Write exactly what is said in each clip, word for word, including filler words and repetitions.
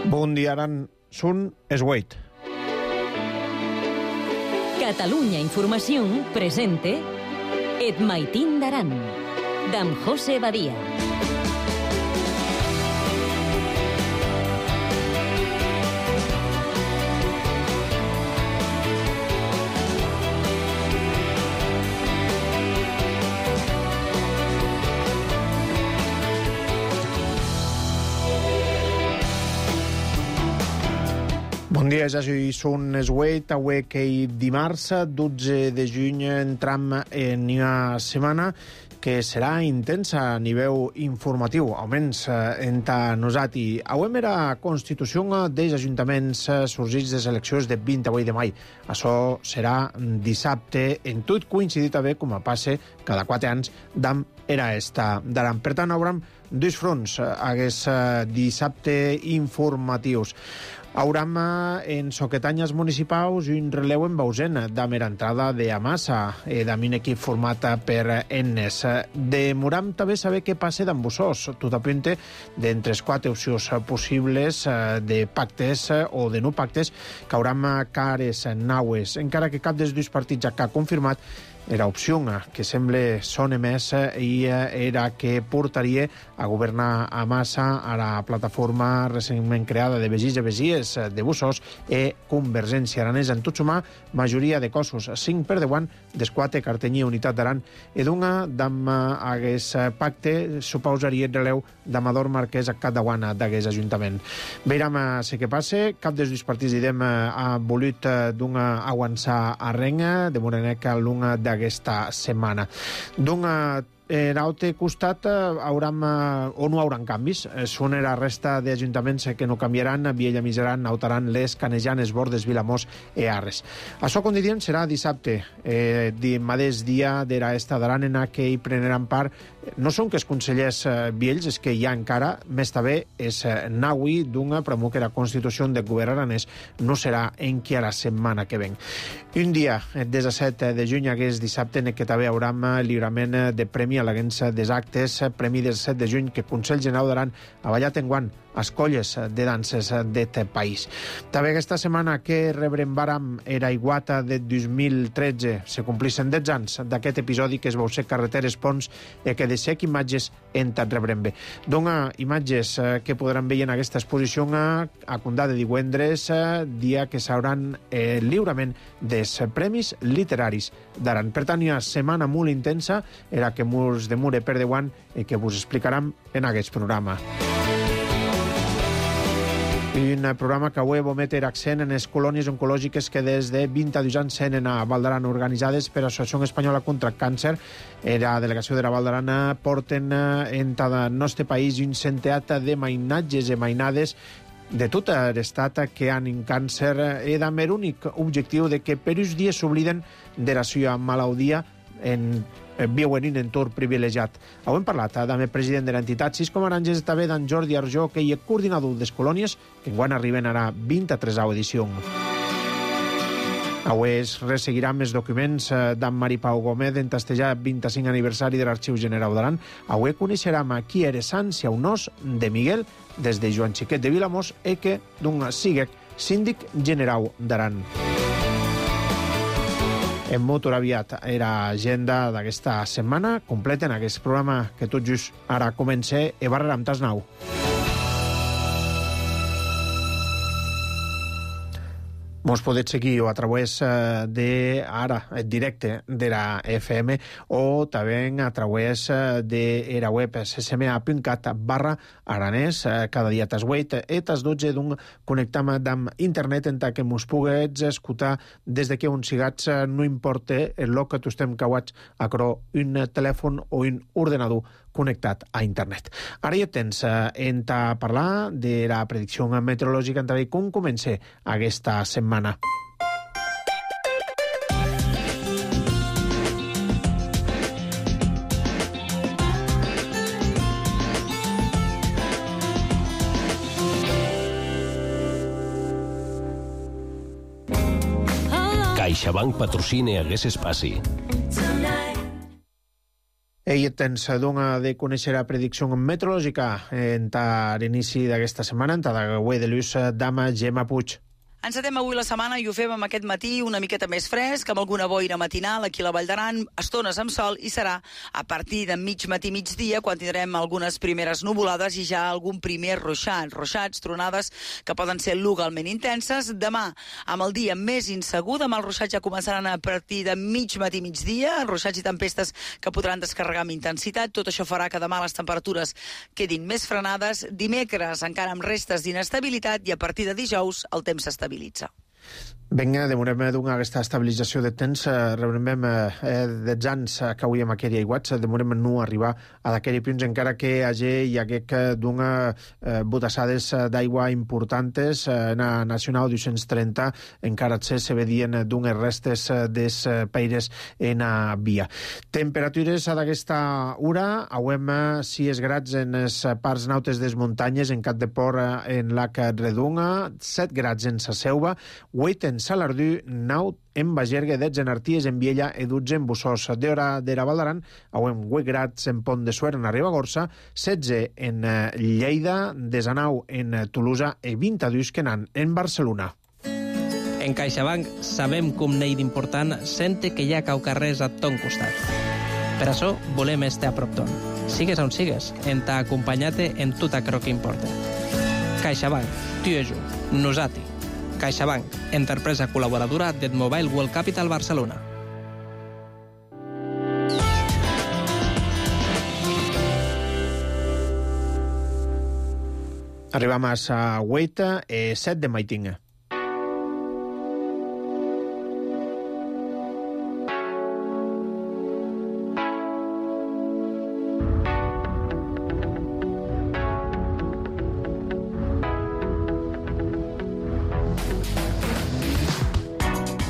Bon dia, Aran. Sun Esgueit. Catalunya Informació presente Et Maitín d'Aran, d'en José Badia. Bon dia, ja soy Sun Esgueit. Avui que dimarts, dotze de juny, entram en una setmana que serà intensa a nivell informatiu, almenys entre nosaltres. Avui era constitució dels ajuntaments sorgits de les eleccions de vint-i-vuit de maig. Això serà dissabte, en tot coincidit també, com a passe cada quatre anys, d'am era esta d'Aran. Per tant, hauram dos fronts aquests dissabte informatius. Hauram en soquetanyes municipals un releu en Bausen d'Amer entrada de Amassa, d'un equip format per Ennes. Demoram també saber què passa d'en Bussós. Tot apunta d'entre les quatre opcions possibles de pactes o de no pactes que hauram cares naues, encara que cap dels dos partits ja ha confirmat era opció que sembla sona més i era que portaria a governar a Massa a la plataforma recentment creada de Begís i Besies de Bussós i Convergència Aranesa. En tot sumar, majoria de cossos, cinc per deuant, des quatre Cartenya i Unitat d'Aran, i d'una d'am hagués pacte suposaria el releu d'Amador Marquès a cada guana d'hagués ajuntament. Veiram sé què passa. Cap dels dos partits idem ha volut d'una avançar a renga, de Moreneca l'una de aquesta setmana. D'un en altre costat hauram, o no hauran canvis. Són la resta d'ajuntaments que no canviaran, Viella Miseran, Nautaran, Les, Canejan, Bordes, Vilamós i Arres. Això, com diríem, serà dissabte, eh, di mateix dia de la esta d'Aran en què hi prendran part. No són que els consellers eh, viells, és que hi ha encara, més també, és eh, naui d'una promou que la Constitució de govern aranès no serà en qui a la setmana que ven. Un dia, el disset de juny, aquest dissabte, en què també hauram lliurament de premi a l'agència des actes, premi del set de juny que el Consell General d'Aran ha ballat enguant les colles de danses d'aquest país. També aquesta setmana que rebrem vàram era iguata de dos mil tretze. Se complixen deu anys d'aquest episodi que es vau ser carreteres, ponts i que de sec imatges en tant rebrem bé. Dona imatges que podran veure en aquesta exposició a Condà de divendres, dia que s'hauran eh, lliurament dels premis literaris d'Aran. Per tant, hi ha setmana molt intensa, era que murs de mure per deuant i que vos explicaram en aquest programa. Un programa que avui vol metre accent en les colònies oncològiques que des de vint-i-dos anys senen a Val d'Aran, organitzades per l'Associació Espanyola contra el Càncer. La delegació de la Val d'Aran porten en tot el nostre país un centeat de mainatges i mainades de tot l'estat que han un càncer i amb l'únic objectiu de que per uns dies s'obliden de la seva malaltia en viuen un entorn privilegiat. Ho hem parlat amb el president de l'entitat Sis Comaranges, també d'en Jordi Arjó, que hi és coordinador de les colònies, que enguany arriben a la vint-i-tresena edició. Avui es resseguiran els documents d'en Mari Pau Gómez en tastejar el vint-i-cinquè aniversari de l'Arxiu General d'Aran. Avui coneixerem qui era Sant Siaunós de Miguel, des de Joan Xiquet de Vilamós, i que d'un siguec síndic general d'Aran. En molt aviat era agenda d'aquesta setmana. Completen aquest programa que tot just ara comença i barrera amb tas nou. Mos podeu seguir o a través de ara, en directe de la F M, o també a través de la web ssma.cat barra aranès, cada dia tas vuit i tas dotze d'un connectam amb internet en que mos puguets escoltar des de que un sigats, no importa el lloc que tu estem cauats a cro un telèfon o un ordenador connectat a internet. Ara ja tens en a parlar de la predicció meteorològica en també com comença aquesta setmana. CaixaBank patrocina aquest espaci. I Ell tens dona de conèixer la predicció meteorològica en l'inici d'aquesta setmana, en l'avui de l'ús d'ama Gemma Puig. Encetem avui la setmana i ho fem amb aquest matí una miqueta més fresc, amb alguna boira matinal aquí a la Vall d'Aran, estones amb sol, i serà a partir de mig matí, migdia, quan tindrem algunes primeres nuvolades i ja algun primer ruixat, ruixats, tronades que poden ser localment intenses. Demà, amb el dia més insegur, demà els ruixats ja començaran a partir de mig matí, migdia, ruixats i tempestes que podran descarregar amb intensitat. Tot això farà que demà les temperatures quedin més frenades. Dimecres, encara amb restes d'inestabilitat, i a partir de dijous el temps s'estabilitza. Vinga, demorem d'una aquesta estabilització de temps, rebrem eh, dels anys que avui amb aquella iguats, demorem no arribar a d'aquell punts, encara que hagi hi hagués d'una eh, botassades d'aigua importantes, eh, na Nacional dos-cents trenta, encara se, se vedien d'unes restes des peires en a via. Temperatures d'aquesta hora, auem sis grads en les parts nautes des muntanyes, en Cap de Port, en Lac Redunga, set grads en Sa Selva, vuit en Salardú, nou en Bagergue, dotze en Arties, en Viella i dotze en Bussós. D'hora de la Val d'Aran, auem vuit grads en Pont de Suert, en la Ribagorça, setze en Lleida, desanau en Tolosa i vint-i-dos que n'han en Barcelona. En CaixaBank sabem com n'hi d'important sente que hi ha caucarrers a ton costat. Per això volem estar a prop ton. Sigues on sigues, en t'ha acompanyat en tot allò que importa. CaixaBank, tu i jo, nosati. CaixaBank, empresa col·laboradora del Mobile World Capital Barcelona. Arribam a sa Hueita, eh, set de Maitinga.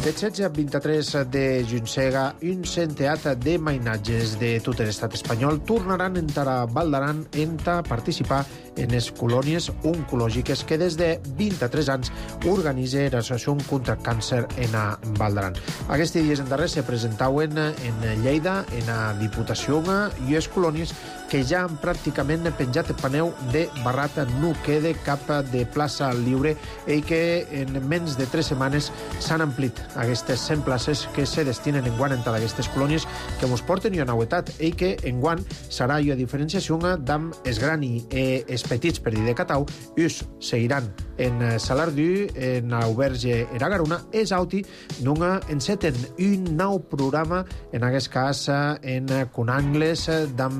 De setze a vint-i-tres de Juncega, un centeat de mainatges de tot l'estat espanyol tornaran en la Val d'Aran en a participar en les colònies oncològiques que des de vint-i-tres anys organitza l'Associació contra el Càncer en a Val d'Aran. Aquests dies en darrer se presentaven en Lleida, en la Diputació, i les colònies que ja han pràcticament penjat el paneu de barrat, no queda cap de plaça lliure i que en menys de tres setmanes s'han amplit aquestes cent places que se destinen enguant en aquestes colònies que ens porten i a novetat i que enguant serà i a diferenciació d'am es grani i es petits per dir de Catau, us seguiran en Salardú, en Auberge i la Garona, és auti d'una enceten un nou programa, en aquest cas en Conangles, d'am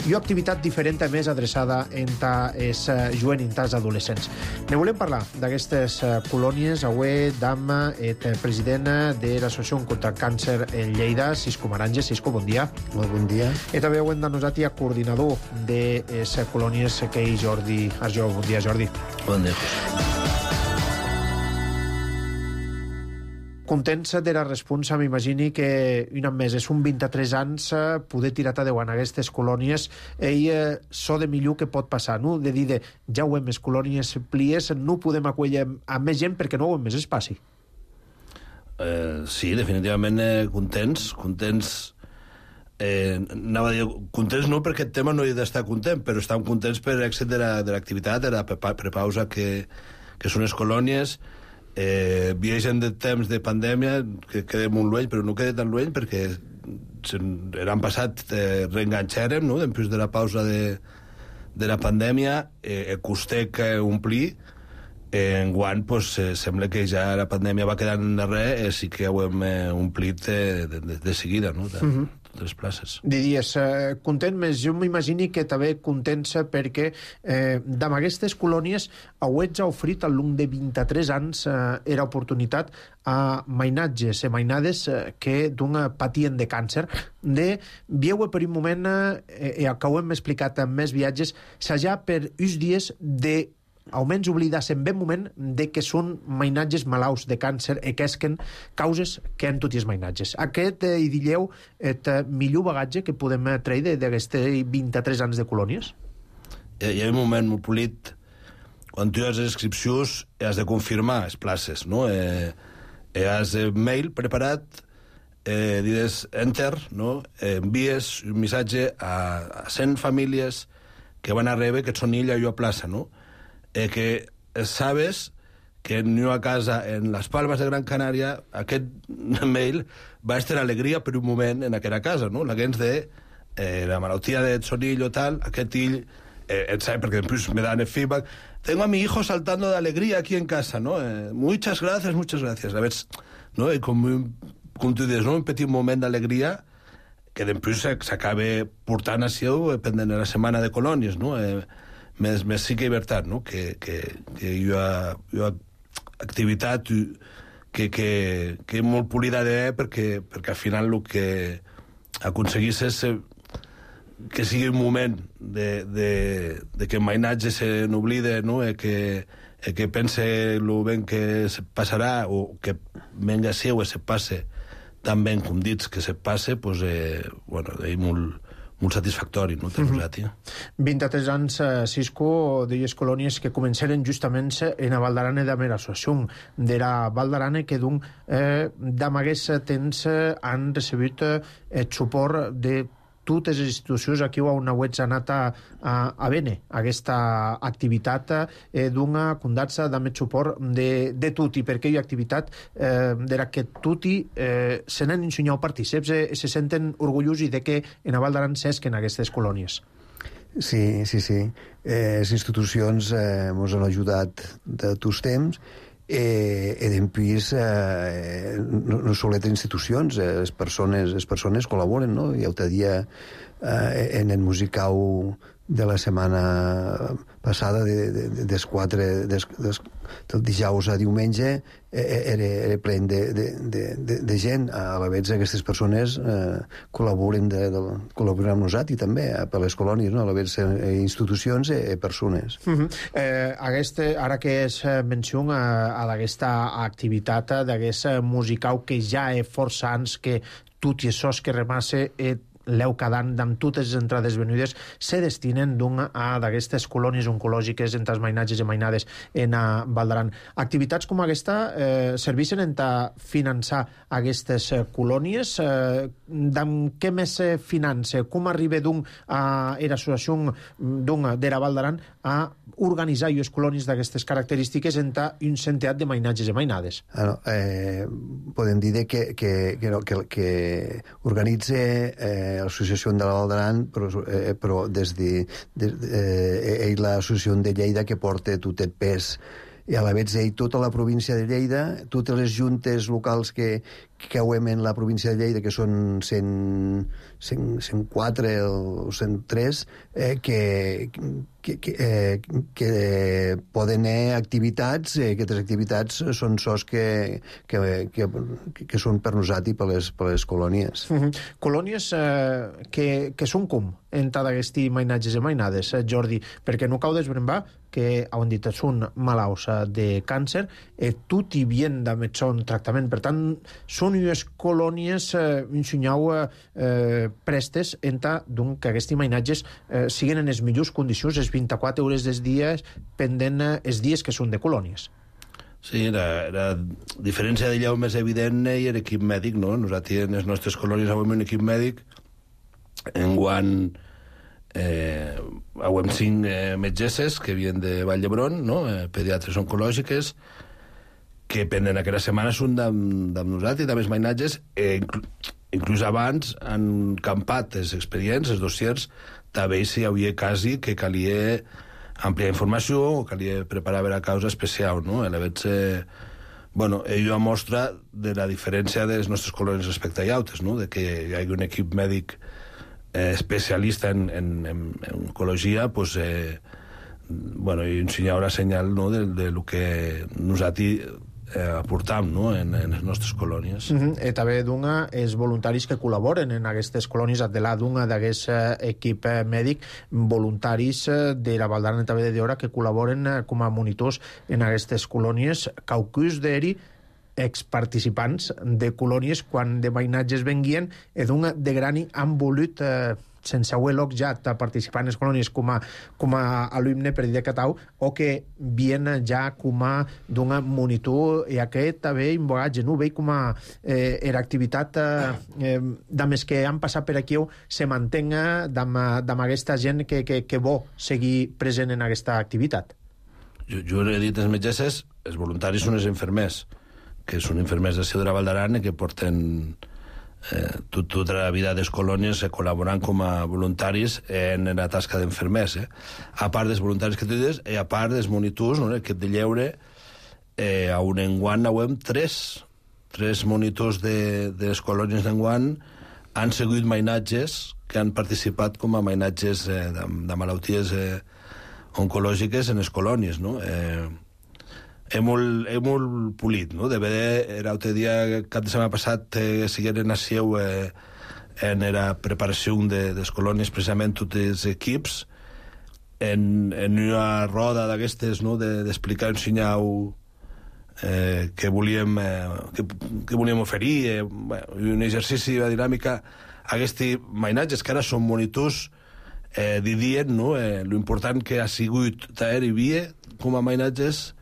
i una activitat diferent més adreçada entre els jovenins i els adolescents. Ne volem parlar d'aquestes colònies avui d'am el president de l'Associació contra el Càncer en Lleida, Cisco Maranje. Cisco, bon dia. Molt bon dia. I també ho hem de nosaltres coordinador de les colònies que hi Jordi Arjó. Bon dia, Jordi. Bon dia. Contents de la responsa, m'imagini que un any més, és un vint-i-tres anys, poder tirar a deu en aquestes colònies, i eh, so de millor que pot passar, no? De dir, de, ja ho hem, les colònies plies, no podem acollir a més gent perquè no ho hem més espaci. Eh, sí, definitivament eh, contents, contents... Eh, anava a dir, contents no perquè el tema no hi ha d'estar content, però estem contents per l'èxit de l'activitat, de la prepausa que, que són les colònies. Eh, viatgen de temps de pandèmia que queda molt lluny, però no queda tan lluny perquè l'any passat eh, reenganxarem, no? Després de la pausa de, de la pandèmia, eh, costé que omplir. Eh, enguant pues, eh, sembla que ja la pandèmia va quedar en darrere, eh, sí que ho hem eh, omplit eh, de, de, de seguida, no? De, mm-hmm. de les places. Diries, eh, content més, jo m'imagini que també contents perquè eh, d'amb aquestes colònies heu ja ofrit al long de vint-i-tres anys eh, era oportunitat a mainatges i mainades eh, que d'un patien de càncer, de vieu per un moment, eh, eh, que ho hem explicat en més viatges, s'ha per uns dies de almenys oblidar-se en ben moment de que són mainatges malaus de càncer i que esquen causes que han tots els mainatges. Aquest, eh, hi dilleu, el millor bagatge que podem treure d'aquests vint-i-tres anys de colònies? Hi ha un moment molt polit quan tu has les inscripcions has de confirmar les places, no? Eh, has el mail preparat eh, dides enter, no? Eh, envies un missatge a, a cent famílies que van a rebre que són illa i a plaça, no? Eh, que sabes que en una casa en les Palmes de Gran Canària aquest mail va estar alegria per un moment en aquella casa, no? La gens de eh, la malaltia de Sonillo tal, aquest ill, eh, et sabe, perquè després me dan el feedback, tengo a mi hijo saltando de alegría aquí en casa, no? Eh, muchas gracias, muchas gracias. A veure, no? I com, com tu dius, no? Un petit moment d'alegria que després s'acaba portant a seu pendent de la setmana de colònies, no? Eh, més, més sí que veritat, no? Que, que, que hi ha, hi ha activitat que, que, que és molt polida d'haver perquè, perquè al final el que aconseguís és que sigui un moment de, de, de que el mainatge se n'oblide, no? E que, e que pense el ben que se passarà o que venga seu e se passe tan ben com dits que se passe, pues, eh, bueno, és molt, molt satisfactori, no?, per nosaltres. vint-i-tres anys, eh, Cisco, d'elles colònies que començaren justament en la Val d'Arana de la associació de la Val d'Arana que d'un eh, d'amagués temps eh, han recebut eh, el suport de totes les institucions. Aquí ho una web ha anat a, a, a bene aquesta activitat eh, d'una condatza de més suport de, de tutti, perquè hi ha activitat eh, de la que tutti eh, se n'han ensenyat partíceps i eh, se senten orgullosos de que en la Val d'Aran s'esquen aquestes colònies. Sí, sí, sí. Eh, les institucions eh, ens han ajudat de tots temps eh, e després eh, no, no solet institucions, eh, les persones les persones col·laboren, no? I l'altre dia eh, en el musicau de la setmana passada de, de, de, des quatre des, des, del dijous a diumenge eh, era, era plen de, de, de, de, de gent. A la vegada aquestes persones eh, col·laboren de, de, col·laboren amb nosaltres i també eh, per les colònies, no? A la vegada eh, institucions i eh, persones. Uh -huh. eh, aquesta, ara que es menciona a, a d'aquesta activitat d'aquest musicau que ja és força anys que tot i això que remasse eh, l'eu quedant amb totes les entrades venudes se destinen d'un a d'aquestes colònies oncològiques entre els mainatges i mainades en a Val d'Aran. Activitats com aquesta eh, serveixen en a finançar aquestes eh, colònies. Eh, amb què més se finança? Com arriba d'un a l'associació d'un de la Val d'Aran a organitzar les colònies d'aquestes característiques entre un centenar de mainatges i mainades? Ah, no, eh, podem dir que, que, que, no, que, que organitza eh, l'associació de la Val d'Aran, però, eh, però des de, de, de eh, l'associació de Lleida que porta tot el pes i a la vegada ell tota la província de Lleida, totes les juntes locals que, que cauem en la província de Lleida, que són cent, cent, cent quatre o cent tres, eh, que, que, que, eh, que poden haver activitats, eh, aquestes activitats són sos que, que, que, que són per nosaltres i per les, per les colònies. Uh -huh. Colònies eh, que, que són com entre d'aquests mainatges i mainades, eh, Jordi, perquè no cau desbrembar que, on dit, són malalts de càncer, eh, tot hi vien de metson tractament. Per tant, són unes colònies, eh, ensenyau, eh, prestes entre doncs, que aquests mainatges eh, siguin en les millors condicions, les vint-i-quatre hores dels dies, pendent eh, els dies que són de colònies. Sí, la, la diferència d'allà més evident és l'equip mèdic, no? Nosaltres en les nostres colònies avui un equip mèdic enguany eh, avui cinc eh, metgesses que vien de Vall d'Hebron, no? Eh, pediatres oncològiques que pendent aquella setmana són amb nosaltres i també els mainatges, eh, inclús, inclús abans han campat els expedients, els dossiers, també si hi havia quasi que calia ampliar informació o calia preparar la causa especial, no? A la vegada, eh, bueno, ello mostra de la diferència de les nostres colònies respecte a altres, no? De que hi hagi un equip mèdic eh, especialista en, en, en, en oncologia, pues, eh, bueno, i ensenyar la senyal, no? de, de lo que nosaltres eh, aportam, no? en, en les nostres colònies. Uh -huh. I també d'una els voluntaris que col·laboren en aquestes colònies, de la d'una d'aquest equip mèdic, voluntaris de la Val d'Aran també d'hora que col·laboren com a monitors en aquestes colònies, caucus d'eri exparticipants de colònies quan de mainatges venguien, i d'un de grani han volut eh, sense haver l'objat a participar en les colònies com a, com a alumne per dir de catau, o que vien ja com a d'una monitor i aquest també invogatge, no? Veig com a eh, era activitat eh, eh, de que han passat per aquí se mantenga amb aquesta gent que, que, que vol seguir present en aquesta activitat. Jo, jo he dit els metgesses, els voluntaris són els infermers, que són infermers de Ciu de la Val d'Aran i que porten eh, tot, tota la vida de les colònies eh, col·laborant com a voluntaris en la tasca d'infermers. Eh? A part dels voluntaris que tu dius, i a part dels monitors, no? L'equip de lleure, eh, a un enguant n'hem tres, tres monitors de, de les colònies d'enguant han seguit mainatges que han participat com a mainatges eh, de, de malalties eh, oncològiques en les colònies, no? Eh, és molt, és molt polit, no? De veure, era l'altre dia, cap de setmana passat, eh, sigueren a Seu eh, en la preparació de, de les colònies, precisament tots els equips, en, en una roda d'aquestes, no? D'explicar, de, ensenyar eh, que volíem eh, que, que volíem oferir, eh, bueno, un exercici de dinàmica, aquests mainatges que ara són monitors eh, dient, no? Eh, l'important que ha sigut traer i via com a mainatges,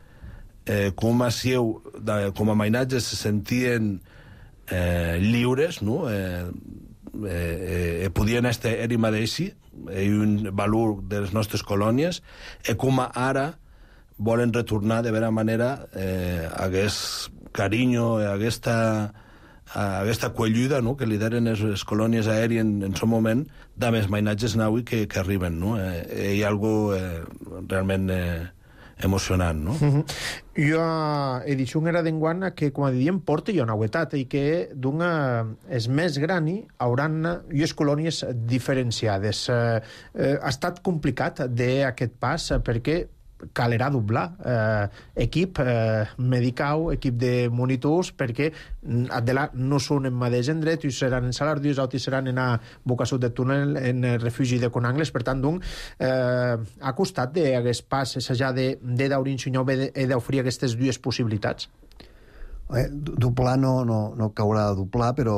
eh, com a Sieu, de, com a mainatges se sentien eh, lliures, no? Eh, eh, eh, podien estar ell mateixi, i un valor de les nostres colònies, i com a ara volen retornar de vera manera eh, aquest carinyo, aquesta a aquesta quellida, no?, que lideren les, les colònies aèries en, en son moment, de més mainatges naui que, que arriben, no? Eh, hi ha algo eh, realment eh, emocionant, no? Uh-huh. Jo edició era d'enguant que, com a diem, porta jo una novetat i que d'una és més gran i hauran les colònies diferenciades. Eh, eh, ha estat complicat d'aquest pas perquè calerà doblar eh, equip eh, medical, equip de monitors, perquè de no són en mateix endret, i seran en Salardius, altres seran en a Bocasut de Túnel, en el refugi de Conangles. Per tant, doncs, eh, ha costat d'aquest pas, ja de, de Daurin Sunyau, he d'oferir aquestes dues possibilitats. Eh, doblar no, no, no caurà a doblar, però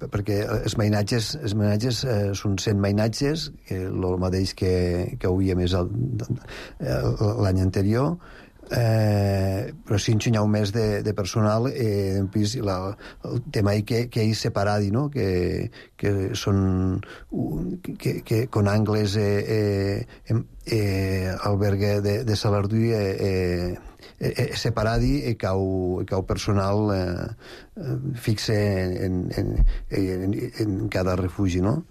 perquè els mainatges, els mainatges eh, són cent mainatges, que el mateix que, que hauria més el, l'any anterior, eh, però si ensenyau més de, de personal eh, en pis, la, el tema que, que hi separadi, no? que, que són que, que con Angles eh, eh, eh, albergue de, de Salardú eh, eh, eh, separadi i cau, cau personal eh, fixe en, en, en, en cada refugi, no?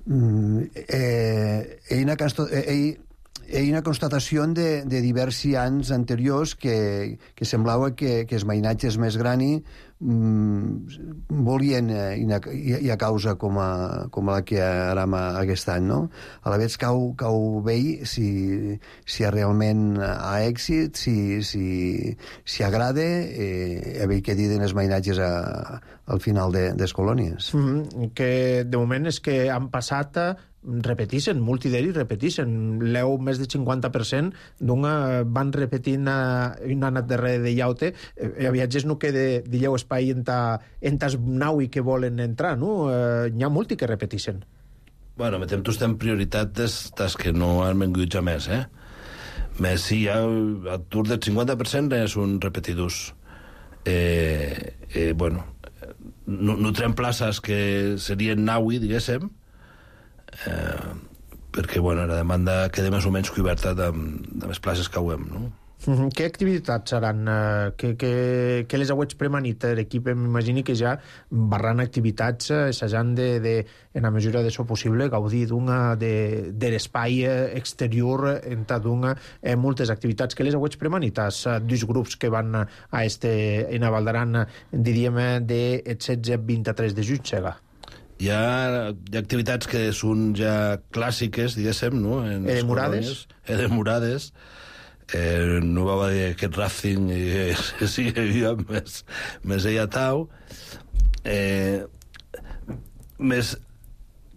Mm, eh, ell una cansto, ell hi ha una constatació de, de diversos anys anteriors que, que semblava que, que els mainatges més grani mm, volien eh, i, i a causa com, a, com la que aram aquest any, no? A la vegada cau, cau vell si, si realment ha èxit, si, si, si agrada, eh, a veure què diuen els mainatges a, al final de, de les colònies. Mm-hmm. Que de moment és que han passat a repetixen, multi d'ells repetixen. L'eu més del cinquanta per cent d'una van repetint una anat darrere de llaute. Eh, a viatges no queda dilleu espai en ta, en tas naui que volen entrar, no? Eh, n'hi ha multi que repetixen. Bueno, metem tots en prioritat des, des que no han vengut ja més, eh? Més si hi ha atur del cinquanta per cent són repetidors. Eh, eh, bueno, no, no trem places que serien naui, diguéssim, Eh, perquè bueno, la demanda queda més o menys coberta de, de les places que ho hem, no? Mm-hmm. Què activitats seran? Eh, que, que, que les auets premanit l'equip? M'imagini que ja barran activitats assajant de, de, en la mesura de so possible, gaudir d'una de, de l'espai exterior en d'una eh, moltes activitats. Que les auets premanites? Eh, dos grups que van a este, en a Valdaran, diríem, de setze a vint-i-tres de juny, Sega. Hi ha, hi ha activitats que són ja clàssiques, diguéssim, no? En edemorades. Edemorades. Eh, no va dir aquest Racing i sí, més, més ella tau. Eh, més,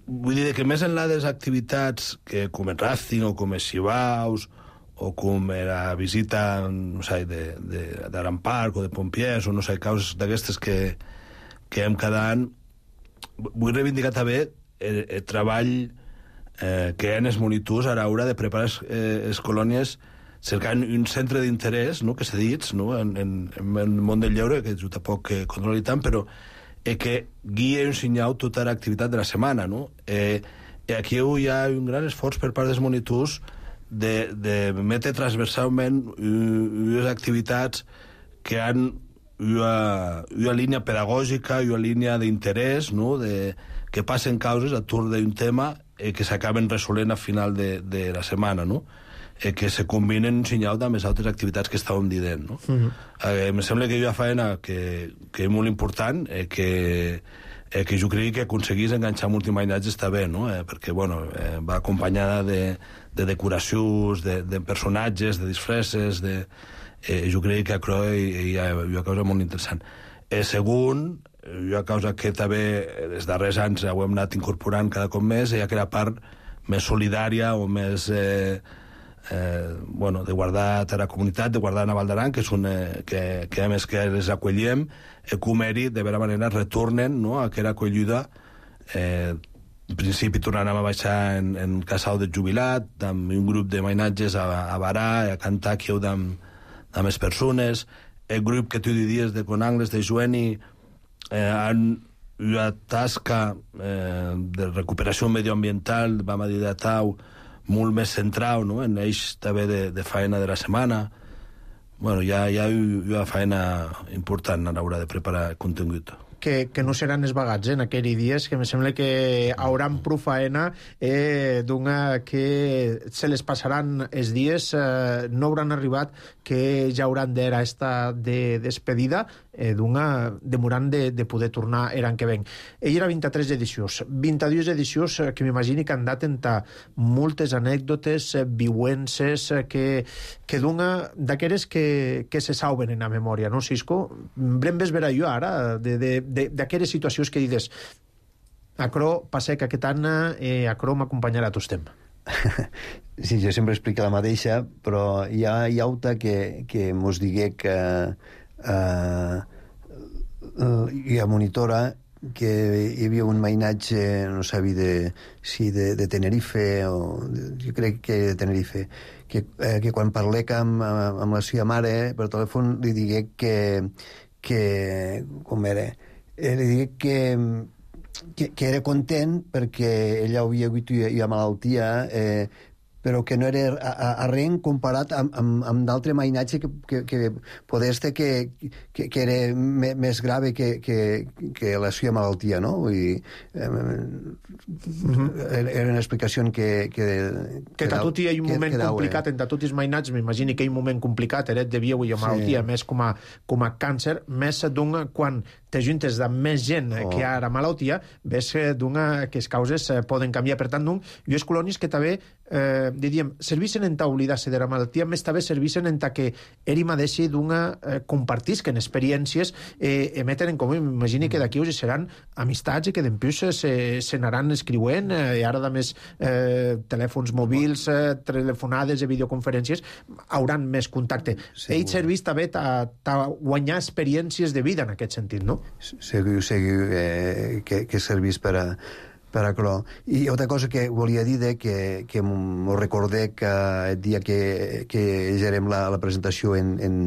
vull dir que més enllà de les activitats que com el Racing o com els Xivaus o com la visita, no sé, d'Aran Park o de Pompiers o no sé, causes d'aquestes que, que hem cada any, vull reivindicar també el, el treball eh, que hi ha en els monitors a l'hora de preparar les eh, colònies cercant un centre d'interès, no?, que s'ha dit, no?, en, en, en el món del lleure, que jo tampoc eh, controlo tant, però eh, que guia un senyal tota l'activitat de la setmana, no? Eh, aquí hi ha un gran esforç per part dels monitors de, de metre transversalment unes activitats que han una, una línia pedagògica i una línia d'interès, no?, de, que passen causes a tur d'un tema eh, que s'acaben resolent al final de, de la setmana, no?, eh, que se combinen un senyal amb les altres activitats que estàvem dient, no? Uh-huh. eh, em sembla que hi ha feina que, que és molt important, eh, que, eh, que jo crec que aconseguís enganxar multimainatge està bé, no? Eh, perquè, bueno, eh, va acompanyada de, de decoracions, de, de personatges, de disfresses, de... Eh, jo crec que això hi ha una cosa molt interessant. Eh, segon, una cosa que també els darrers anys ho hem anat incorporant cada cop més, hi ha aquella part més solidària o més... Eh, eh, bueno, de guardar a la comunitat, de guardar a Val d'Aran, que és un, eh, que, que a més que les acolliem, eh, Comeri, de vera manera, retornen, no?, a aquella acollida. Eh, en principi tornarem a baixar en, en Casal del Jubilat, amb un grup de mainatges a, a Barà, a cantar aquí amb, amb les persones. El grup que tu diries de Conangles, de Joeni, eh, han una tasca eh, de recuperació medioambiental, vam a dir de Tau, molt més central, no?, en eix també de, de feina de la setmana. Bueno, hi ha, hi ha una feina important a l'hora de preparar contingut. Que, que no seran esbagats, eh, en aquells dies, que em sembla que hauran prou faena, eh, d'una que se les passaran els dies, eh, no hauran arribat, que ja hauran d'era esta de despedida, eh, d'una demorant de, de poder tornar l'any que ven. Ell era vint-i-tres edicions, vint-i-dues edicions eh, que m'imagini que han dat entre moltes anècdotes, eh, viuences, eh, que, que d'una d'aquelles que, que se salven en la memòria, no, Cisco? Brem ves veure jo ara, de, de d'aquelles situacions que dius acro passec aquest any, eh, acro m'acompanyarà tot el temps. Sí, jo sempre explico la mateixa, però hi ha, hi ha auta que, que mos digué que eh, hi ha monitora que hi havia un mainatge, no sabia de, si de, de Tenerife o de, jo crec que de Tenerife, que, eh, que quan parlec amb, amb la seva mare per telèfon li digué que, que com era, eh, li digué que Que, que era content perquè ella havia hagut una malaltia, eh, però que no era a, a, a res comparat amb, amb, amb d'altre mainatge que, que, que poder estar que, que, que era me, més grave que, que, que la seva malaltia, no? Vull dir, eh, uh-huh. era una explicació que... Que, que tot hi ha un moment que, complicat, entre tots els mainats, m'imagini que hi ha un moment complicat, era de via una malaltia, sí. Més com a, com a càncer, més d'un quan te juntes de més gent oh. que hi ha la malaltia, ves d'una que les causes eh, poden canviar. Per tant, d'un, i les colònies que també eh, diríem, servissen en oblidar-se de la malaltia, més també servissen en que eri mateixa d'una eh, compartisquen experiències, eh, emeten en comú. M'imagini que d'aquí us seran amistats i que d'empius se, se n'aran escriuent, eh, i ara de més eh, telèfons mòbils, eh, telefonades i videoconferències, hauran més contacte. Sí, Ell servís també a guanyar experiències de vida en aquest sentit, no? Segur, segur eh, que, que servís per a, per a això. I altra cosa que volia dir de que, que m'ho recordé que el dia que, que gerem la, la presentació en, en,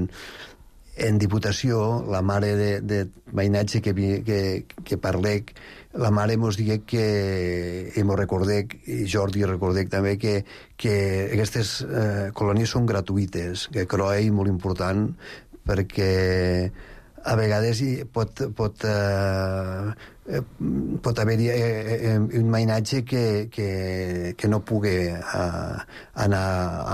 en Diputació, la mare de, de veïnatge que, que, que parlec, la mare mos digué que, i m'ho recordec, i Jordi recordec també, que, que aquestes eh, colònies són gratuïtes, que això és molt important, perquè a vegades pot, pot, eh, pot haver-hi eh, un mainatge que, que, que no pugui eh, anar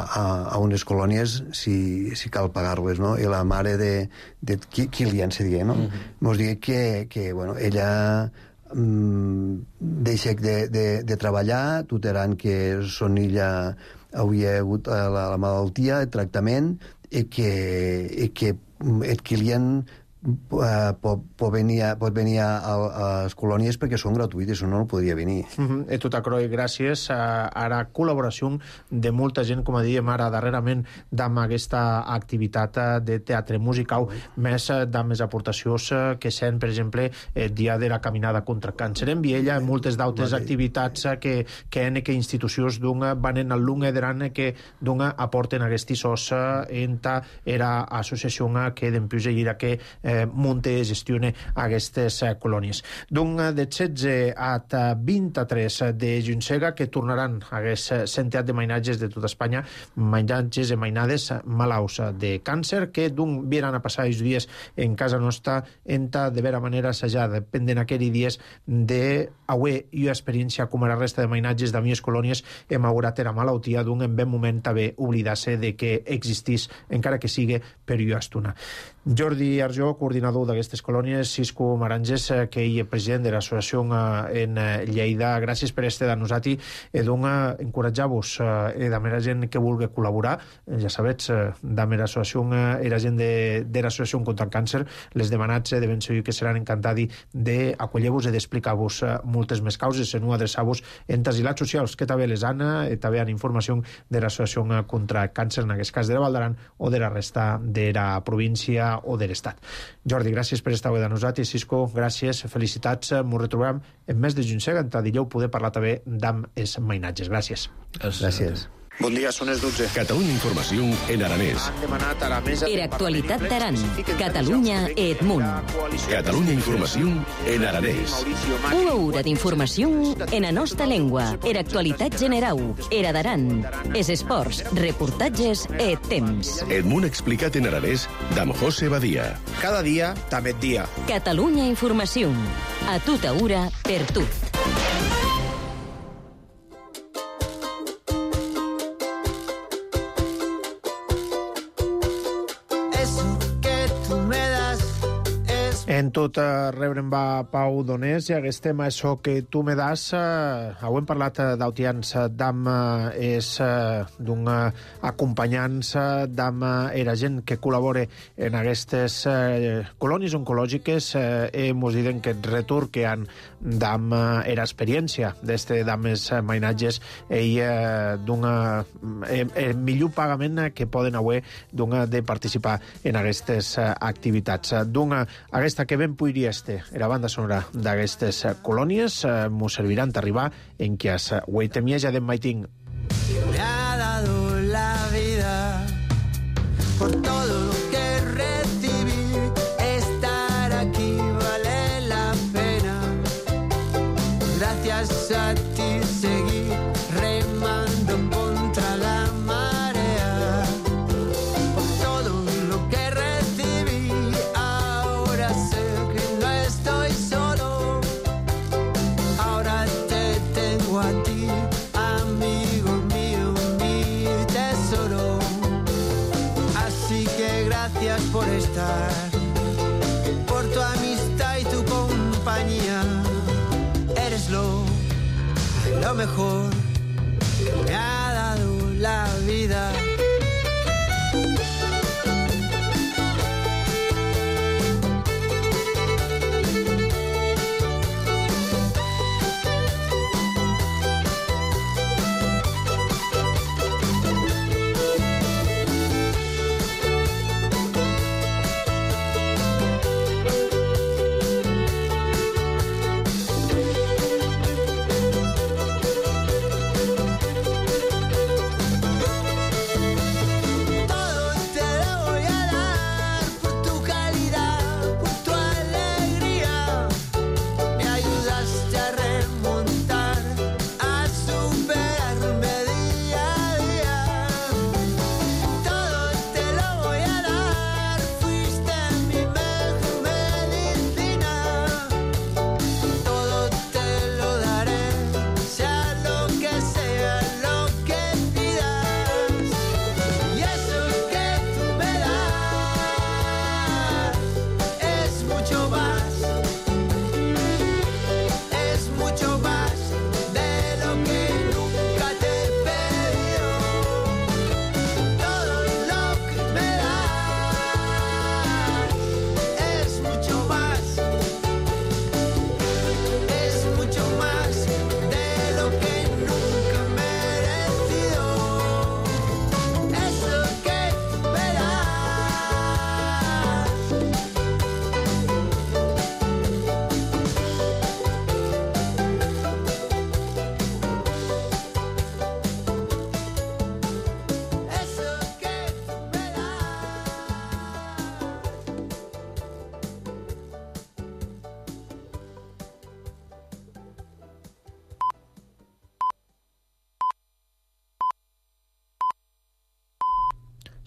a, a unes colònies si, si cal pagar-les, no? I la mare de, de Kilian, se digui, no? Mm-hmm. Mos digui que, que bueno, ella mm, deixa de, de, de treballar, tuteran que son ella havia hagut la, la malaltia, el tractament, i que, i que el Kilian uh, pot, pot venir, a, pot venir a, a les colònies perquè són gratuïtes, o no, no podria venir. Uh-huh. E tot aquerò, gràcies a, a la col·laboració de molta gent, com diem ara darrerament, amb aquesta activitat de teatre musical, més amb les aportacions que sent, per exemple, el dia de la caminada contra el càncer en Viella, moltes d'altres vale. activitats que, que en que institucions d'un van en el lunge d'an que d'un aporten aquests sos en ta era associació que d'empús ira que eh, munte i gestione aquestes eh, colònies. D'un de setze a vint-i-tres de Juncega que tornaran a aquest centenat de mainatges de tota Espanya, mainatges i mainades malaus de càncer que d'un viran a passar els dies en casa nostra en ta de vera manera assajar, dependen aquells dies de aué i experiència com a la resta de mainatges de mies colònies hem aurat era malaltia d'un en ben moment també oblidar-se de que existís encara que sigui per jo estona. Jordi Arjó, coordinador d'aquestes colònies, Cisco Maranges, que ell és president de l'associació en Lleida. Gràcies per este de nosaltres i doncs encoratjar-vos eh, de la gent que vulgui col·laborar. Ja sabets, de l'associació era gent de, de l'associació contra el càncer, les demanats de ben segur que seran encantats d'acollir-vos i d'explicar-vos moltes més causes, en adreçar-vos en tasilats socials, que també les han, i també han informació de l'associació contra el càncer, en aquest cas de la Val d'Aran o de la resta de la província o de l'Estat. Jordi, gràcies per estar avui de nosaltres. Cisco, gràcies, felicitats. M'ho retrobem en mes de juny, entre dijous poder parlar també d'amb els mainatges. Gràcies. Gràcies. Bon dia, són les dotze. Catalunya Informació en aranès. Han demanat a la mesa... Era actualitat d'Aran, Catalunya e Edmunt. Catalunya Informació en aranès. Una hora d'informació en la nostra llengua. Era actualitat generau, era d'Aran. Es esports, reportatges e temps. Edmunt explicat en aranès d'amb José Badia. Cada dia, també dia. Catalunya Informació. A tota hora, per tu. En tot eh, rebre'm va Pau Donés i aquest tema, això que tu me das, eh, ho hem parlat eh, d'autians d'am eh, és eh, d'un eh, acompanyants d'am eh, era gent que col·labora en aquestes eh, colònies oncològiques eh, i mos diuen que el retur que han d'am eh, era experiència d'este dames eh, mainatges i eh, d'un eh, el millor pagament que poden haver d'un de participar en aquestes eh, activitats. D'un aquesta que ben podria este, era banda sonora d'aquestes colònies, eh, mos serviran d'arribar en que es Hueitemieja de Maiting. Me ha dado la vida por todo lo que recibí, estar aquí vale la pena, gracias a ti seguí remando contra la marea, por todo lo que recibí, ahora sé que no estoy solo, ahora te tengo a ti, amigo mío, mi tesoro, así que gracias por estar, por tu amistad y tu compañía, eres lo, lo mejor que me ha dado la vida.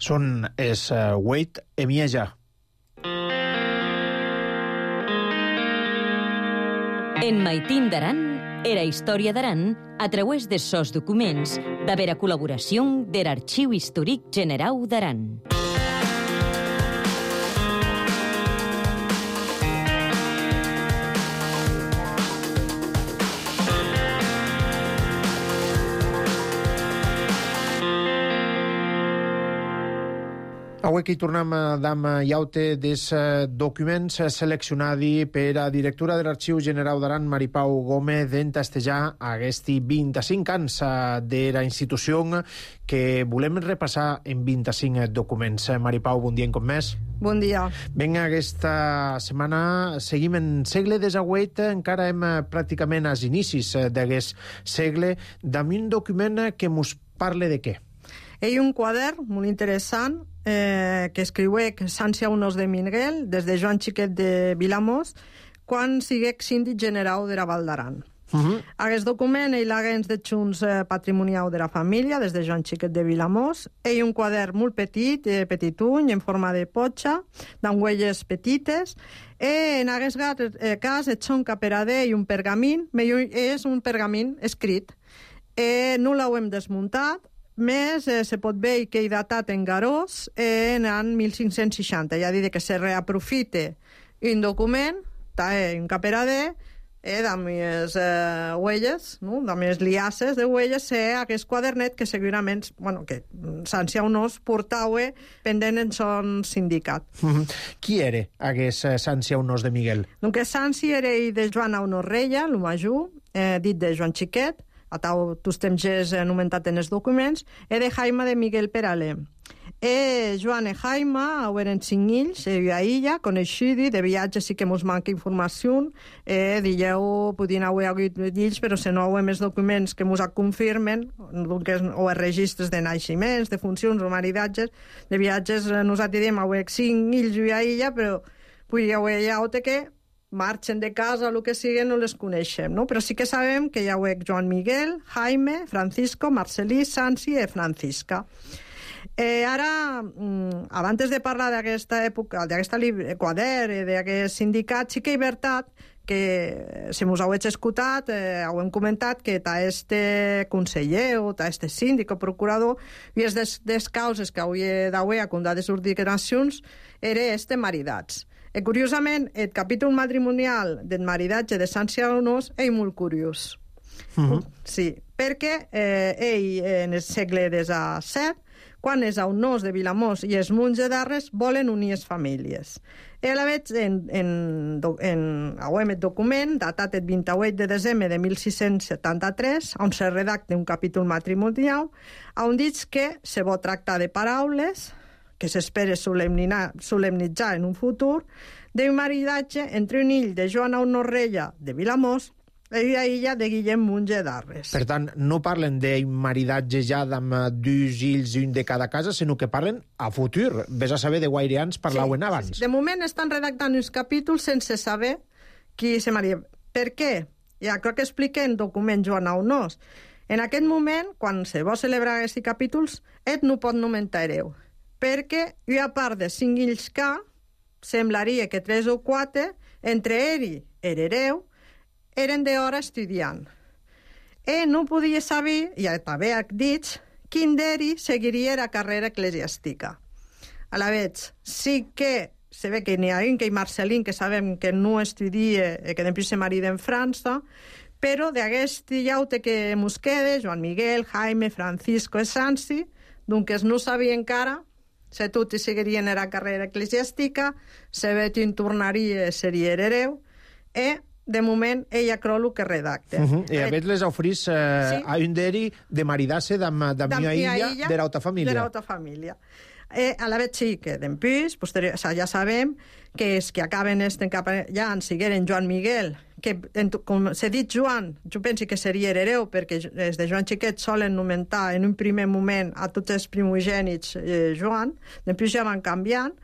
Són es uh, Wait Emieja. En Maitín d'Aran era història d'Aran a través de sos documents d'haver a col·laboració de l'Arxiu Històric Generau d'Aran. Avui aquí tornem a dam iaute des documents seleccionadi per a directora de l'Arxiu Generau d'Aran, Maripau Gómez, d'entastejar aquests vint-i-cinc anys de la institució que volem repassar en vint-i-cinc documents. Maripau, bon dia en cop més. Bon dia. Ben, aquesta setmana seguim en segle desagüet, encara hem pràcticament als inicis d'aquest segle, amb un document que mos parle de què? Hi ha un quadern molt interessant eh, que escriuec Sanci Aunós de Miguel des de Joan Xiquet de Vilamós quan siguec síndic generau de la Val d'Aran. Uh-huh. Aquest document ell haguens de Junts eh, patrimonial de la família des de Joan Xiquet de Vilamós. Hi ha un quadern molt petit, eh, petituny, en forma de potxa, amb huelles petites. E en aquest eh, cas et són caperador i un pergamin, és un pergamin escrit. Eh, no l'hem desmuntat, més eh, se pot veure que he datat en Garós eh, en l'any mil cinc-cents seixanta. Ja dit que se reaprofite un document, eh, un caperador, eh, amb les eh, huelles, no? amb les liasses de huelles, eh, aquest quadernet que segurament, bueno, que Sanci Aunós portava pendent en son sindicat. Mm-hmm. Qui era aquest Sanci Aunós de Miguel? Donc Sanci era de Joan Aunós Reia, el major, eh, dit de Joan Xiquet, a tau tus temps és anomentat en els documents, e de Jaime de Miguel Peralé. E Joan e Jaime eren cinc ills, e a illa, coneixidi, de viatge sí que mos manca informació, e dilleu, podien haver hagut ills, però se no haver més documents que mos confirmen, o els registres de naixements, de funcions o maridatges, de viatges, nosaltres diem haver cinc ills i a illa, però podria haver llaute que marxen de casa, el que sigui, no les coneixem, no? Però sí que sabem que hi ha Joan Miguel, Jaime, Francisco, Marcelí, Sanci i Francisca. Eh, ara, abans de parlar d'aquesta època, d'aquesta quadern, d'aquest sindicat, sí que és veritat que, si mos heu escoltat, eh, heu comentat que ta este conseller o ta este síndic o procurador, i és des, des causes que hauria d'haver a contar de sus declaracions, era este maridats. E, curiosament, el capítol matrimonial del maridatge de Sanci Aunós és molt curiós. Uh-huh. Sí, perquè eh, ell, en el segle disset, quan els Aunós de Vilamós i els Munts de Darres volen unir les famílies. I a la vegada, en, en, en, en el document, datat el vint-i-vuit de desembre de mil sis-cents setanta-tres, on se redacta un capítol matrimonial, on diu que se vol tractar de paraules que s'espera solemnitzar en un futur, d'un maridatge entre un ill de Joan Aunós Reia de Vilamós i la illa de Guillem Munts de Darres. Per tant, no parlen d'un maridatge ja amb dos ills i un de cada casa, sinó que parlen a futur. Ves a saber de guaireans parlaven sí, abans. Sí, de moment estan redactant uns capítols sense saber qui se maria. Per què? Ja crec que explica en document Joan Aunós. En aquest moment, quan se vol celebrar aquests capítols, et no pot nomentar hereu. Perquè, i a part de cinc ills que, semblaria que tres o quatre, entre ell i hereu, eren d'hora estudiant. E no podia saber, i també ha dit, quin d'eri seguiria la carrera eclesiàstica. A la vegada, sí que se ve que n'hi ha un que hi Marcelín, que sabem que no estudia, que després se marida en França, però d'aquest llaute que mos queda, Joan Miguel, Jaime, Francisco i Sanci, doncs no sabia encara se tutti seguirien la carrera eclesiàstica, se vetin tornaria seria hereu, e de moment ella creu el que redacta. Uh-huh. I a veure les oferís eh, sí? a un d'eri de maridar-se d'amb mia illa de l'auta família. De l'auta família. Eh, a la vegada sí que d'empís, posterior, o sea, ja sabem que és que acaben este, ja en sigueren Joan Miguel, que en, com s'ha dit Joan, jo penso que seria hereu, perquè els de Joan Xiquet solen nomentar en un primer moment a tots els primogènits eh, Joan, després ja van canviant,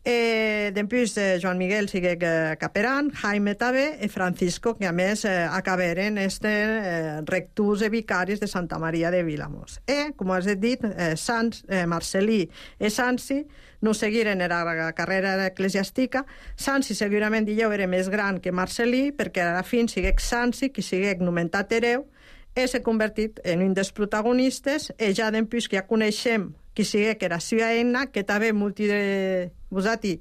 Eh, Dempús eh, Joan Miguel siguec eh, caperan, Jaime també e Francisco, que a més eh, acaberen este eh, rectors e vicaris de Santa Maria de Vilamós. E, com has dit, eh, Sans, eh, Marcelí e Sansi no seguiren la carrera eclesiàstica. Sansi segurament dilleu era més gran que Marcelí, perquè a la fin siguec Sansi, que siguec nomentat hereu, e s'ha convertit en un dels protagonistes, e ja dempús que ja coneixem qui sigui que era seva eina, que també multi de vosati,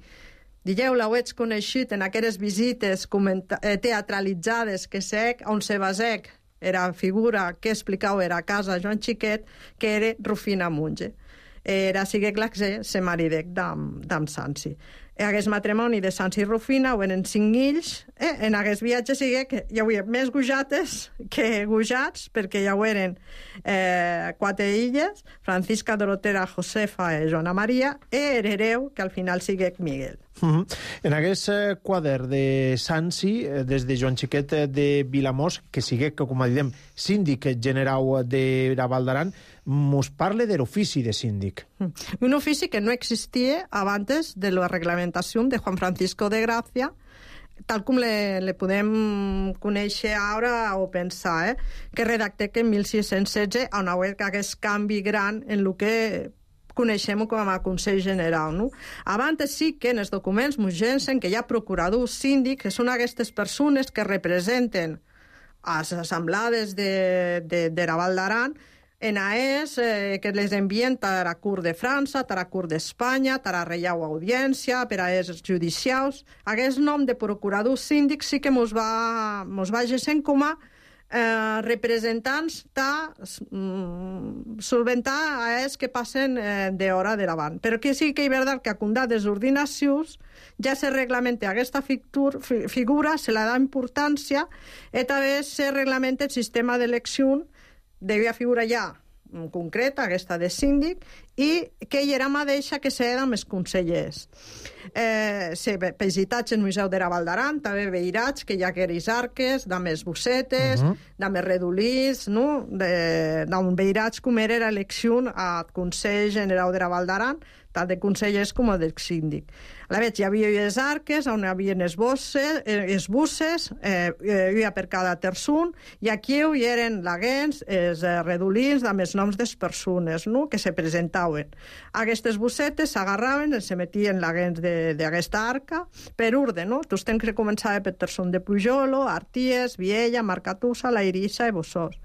digueu, l'heu coneixut en aquelles visites teatralitzades que sec, on se basec era figura que explicau era a casa Joan Xiquet, que era Rufina Munge. Era siguec l'accés, se maridec d'am Sansi. En aquest matrimoni de Sansi i Rufina ho eren cinc fills, eh? En aquest viatge sigue que hi havia més gujates que gujats, perquè hi eren eh, quatre illes, Francisca, Dorotera, Josefa i Joana Maria, i hereu, que al final sigue Miguel. Mm-hmm. En aquest eh, quadre de Sansi, eh, des de Joan Xiquet de Vilamós, que sigue, que, com diem, síndic generau de la Val d'Aran, mos parle de l'ofici de síndic. Un ofici que no existia abans de la reglamentació de Juan Francisco de Gracia, tal com le, le podem conèixer ara o pensar, eh? Que redacté que en mil sis-cents setze on hi ha aquest canvi gran en el que coneixem com a Consell General. No? Abans sí que en els documents ens llencen que hi ha procuradors síndics, que són aquestes persones que representen a les assemblades de, de, de la Val d'Aran, en A E S, eh, que les envien a la Cort de França, a la Cort d'Espanya, a la Reial Audiència, per a els judicials. Aquest nom de procurador síndic sí que mos va, mos va gesent com a eh, representants ta mm, solventar a ells que passen eh, d'hora de davant. Però que sí que hi verdad que a condar des ordinacions ja se reglamenta aquesta figur, figura, se la da importància, i també se reglamenta el sistema d'elecció devia figurar ja concreta, aquesta de síndic, i que hi era mateixa que s'era amb els consellers. Eh, se visitats en el Museu de la Val d'Aran, també veirats que hi ha queris arques, dames bussetes, uh -huh. dames redolís, no? D'on veirats com era l'elecció al Consell General de la Val d'Aran, tant de consellers com del síndic. A la vegada hi havia les arques, on hi havia les bosses, els busses, eh, hi havia per cada terçun, i aquí hi eren laguens, els redolins, amb els noms de les persones, no?, que se presentaven. Aquestes bussetes s'agarraven, se metien laguens d'aquesta arca, per urde, no? Tu tens que començar per terçun de Pujolo, Arties, Viella, Marcatussa, La Irissa i Bossós.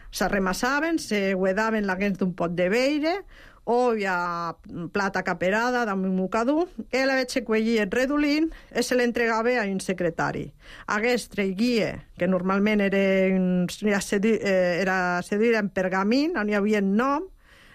Se remassaven, se guedaven laguens d'un pot de beire, o hi ha plata caperada damunt mocador, i la veig que cuellia el redolín i se l'entregava a un secretari. Aquest traiguia, que normalment era, un, era cedir en pergamín, on hi havia el nom,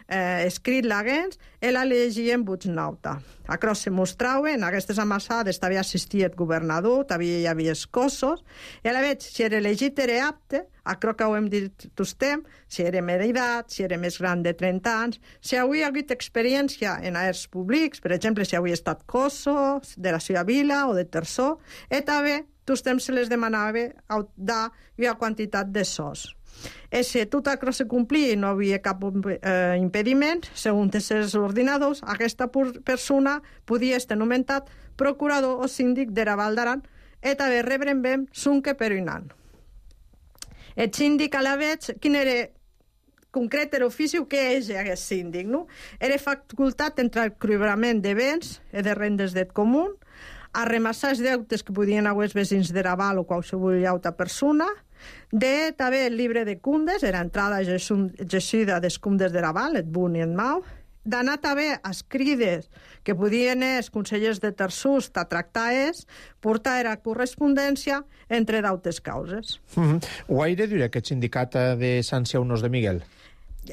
eh, escrit laguens, i la llegia en voz nauta. Across se mostrava, en aquestes amassades també assistia el governador, també hi havia escossos, i a la veig, si era elegit era apte, acro que ho hem dit tostem, si era més d'edat, si era més gran de trenta anys, si havia hagut experiència en aers públics, per exemple, si havia estat cosso, de la seva vila o de terçó, i també tostem se les demanava dar una quantitat de sos. I si tot això se complia i no havia cap eh, impediment, segons els ordinadors, aquesta persona podia estar nomenat procurador o síndic de la Val d'Aran i també rebren ben sunque per un any. El síndic a la veig, quin era concret l'ofici o què és aquest síndic, no? Era facultat entre el cobrament de béns i de rendes del comú, a remassar els deutes que podien haver els veïns de la Val o qualsevol altra persona, de també el llibre de cundes, era entrada gessida dels cundes de la Val, et bun i et mau, d'anar també a escrides que podien els consellers de terçús a tractar és, portar era correspondència entre d'altres causes. Mm-hmm. Ho ha de dir aquest sindicat de Sansi Aunos de Miguel?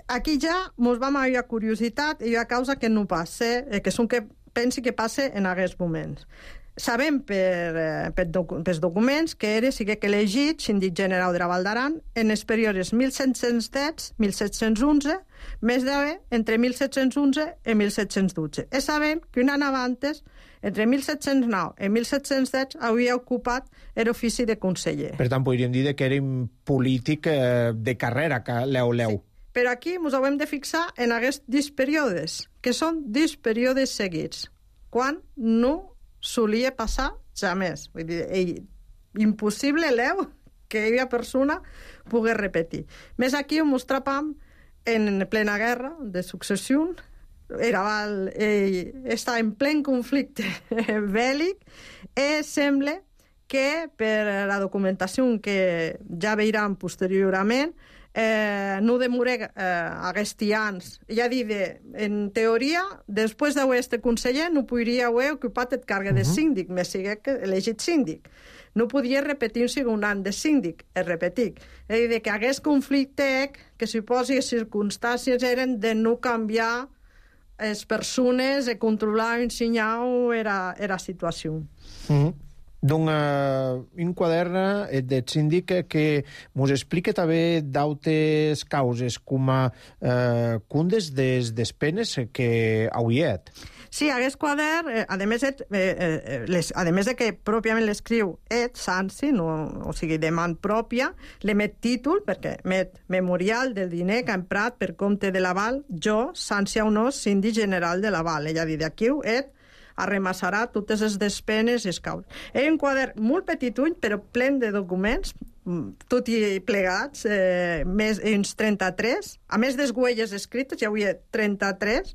Aquí ja mos vam a una curiositat i una causa que no passa, que són que pensi que passa en aquests moments. Sabem per, per doc, pels documents que era sí que elegit síndic general de la Val d'Aran en els períodes mil set-cents deu a mil set-cents onze, més d'haver entre mil set-cents onze i mil set-cents dotze. I sabem que un any abans, entre mil set-cents nou i mil set-cents deu, havia ocupat l'ofici de conseller. Per tant, podríem dir que era un polític eh, de carrera, que leu-leu. Sí. Però aquí ens haurem de fixar en aquests dos períodes, que són dos períodes seguits. quan no solia passar jamais. Vull dir, ell, impossible, Leo, que aquella persona pogués repetir. Més aquí ho mostràvem en plena guerra de successió, era, ell està en plen conflicte bèl·lic i sembla que per la documentació que ja veiran posteriorment eh, no demoré eh, aquests anys. Ja dic, en teoria, després d'haver estat conseller, no podria haver ocupat el càrrec de síndic, més sigui que elegit síndic. No podia repetir un segon any de síndic, es repetic. És a dir, que aquest conflicte, que suposi les circumstàncies eren de no canviar les persones, de controlar i ensenyar era, era situació. Mm-hmm. Donc, uh, un quadern de síndic que mos explica també d'altres causes, com a uh, cundes des despenes que hauiet. Sí, aquest quadern, eh, a més, et, eh, les, a més de que pròpiament l'escriu Ed Sansi, no, o sigui, de man pròpia, l'emet títol, perquè emet memorial del diner que ha emprat per compte de l'aval, jo, Sansi Aunós, síndic general de l'aval. Ella diu, d'aquí, Ed arremassarà totes les despenes i els causes. Era un quadern molt petitull, però plen de documents, tot i plegats, eh, més uns trenta-tres, a més des huelles escrites, hi havia trenta-tres,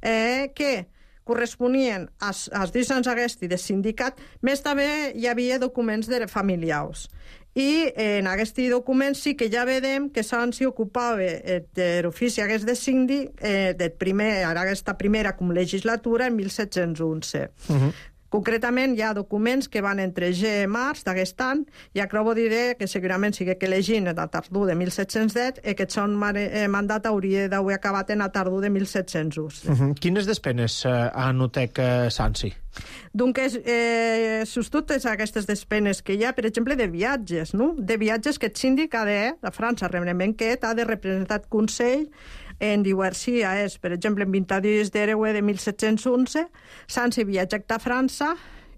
eh, que corresponien als, als dos anys aquests de sindicat, més també hi havia documents de familiars. I en aquest document sí que ja vedem que Sansi ocupava de l'ofici aquest de síndic eh, de primer, ara aquesta primera com legislatura en mil set-cents onze. Uh-huh. Concretament, hi ha documents que van entre G i març d'aquest any, i acabo de dir que segurament sigui que llegint a tardor de mil set-cents deu i que aquest mandat hauria d'haver acabat en a tardor de mil set-cents onze. Uh-huh. Quines despenes uh, ha anotat uh, Sansi? Donc, eh, sus totes aquestes despenes que hi ha, per exemple, de viatges, no? De viatges que el síndic ha de, a França, realment que ha de representar el Consell en diversos és, per exemple, en vint-i-dos d'Hereue de mil set-cents onze, Sansi viatja a França,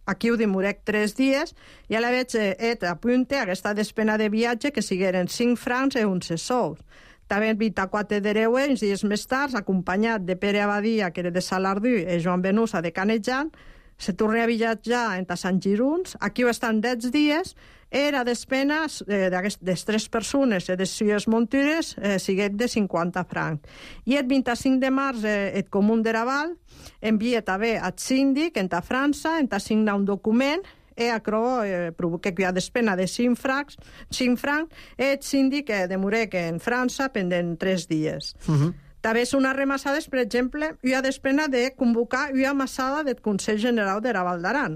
aquí ho demorec tres dies, i a la veig et apunte aquesta despena de viatge que sigueren cinc francs i onze sous. També el vint-i-quatre d'Hereue, uns dies més tard, acompanyat de Pere Abadia, que era de Salardú, i Joan Benusa, de Canejan, se torna a viatjar entre Sant Giruns, aquí ho estan deu dies, era despena eh, d'aquestes tres persones, eh, de sis muntures, eh, siguet de cinquanta francs. I el vint-i-cinc de març, eh, el Comú de Raval envia també al síndic, a França, a signar un document, e acro eh, provoca que hi ha despena de cinc francs, cinc francs, i el síndic eh, demorec en França pendent tres dies. Uh-huh. També són arremassades, per exemple, hi ha despena de convocar una amassada del Consell General de Raval d'Aran.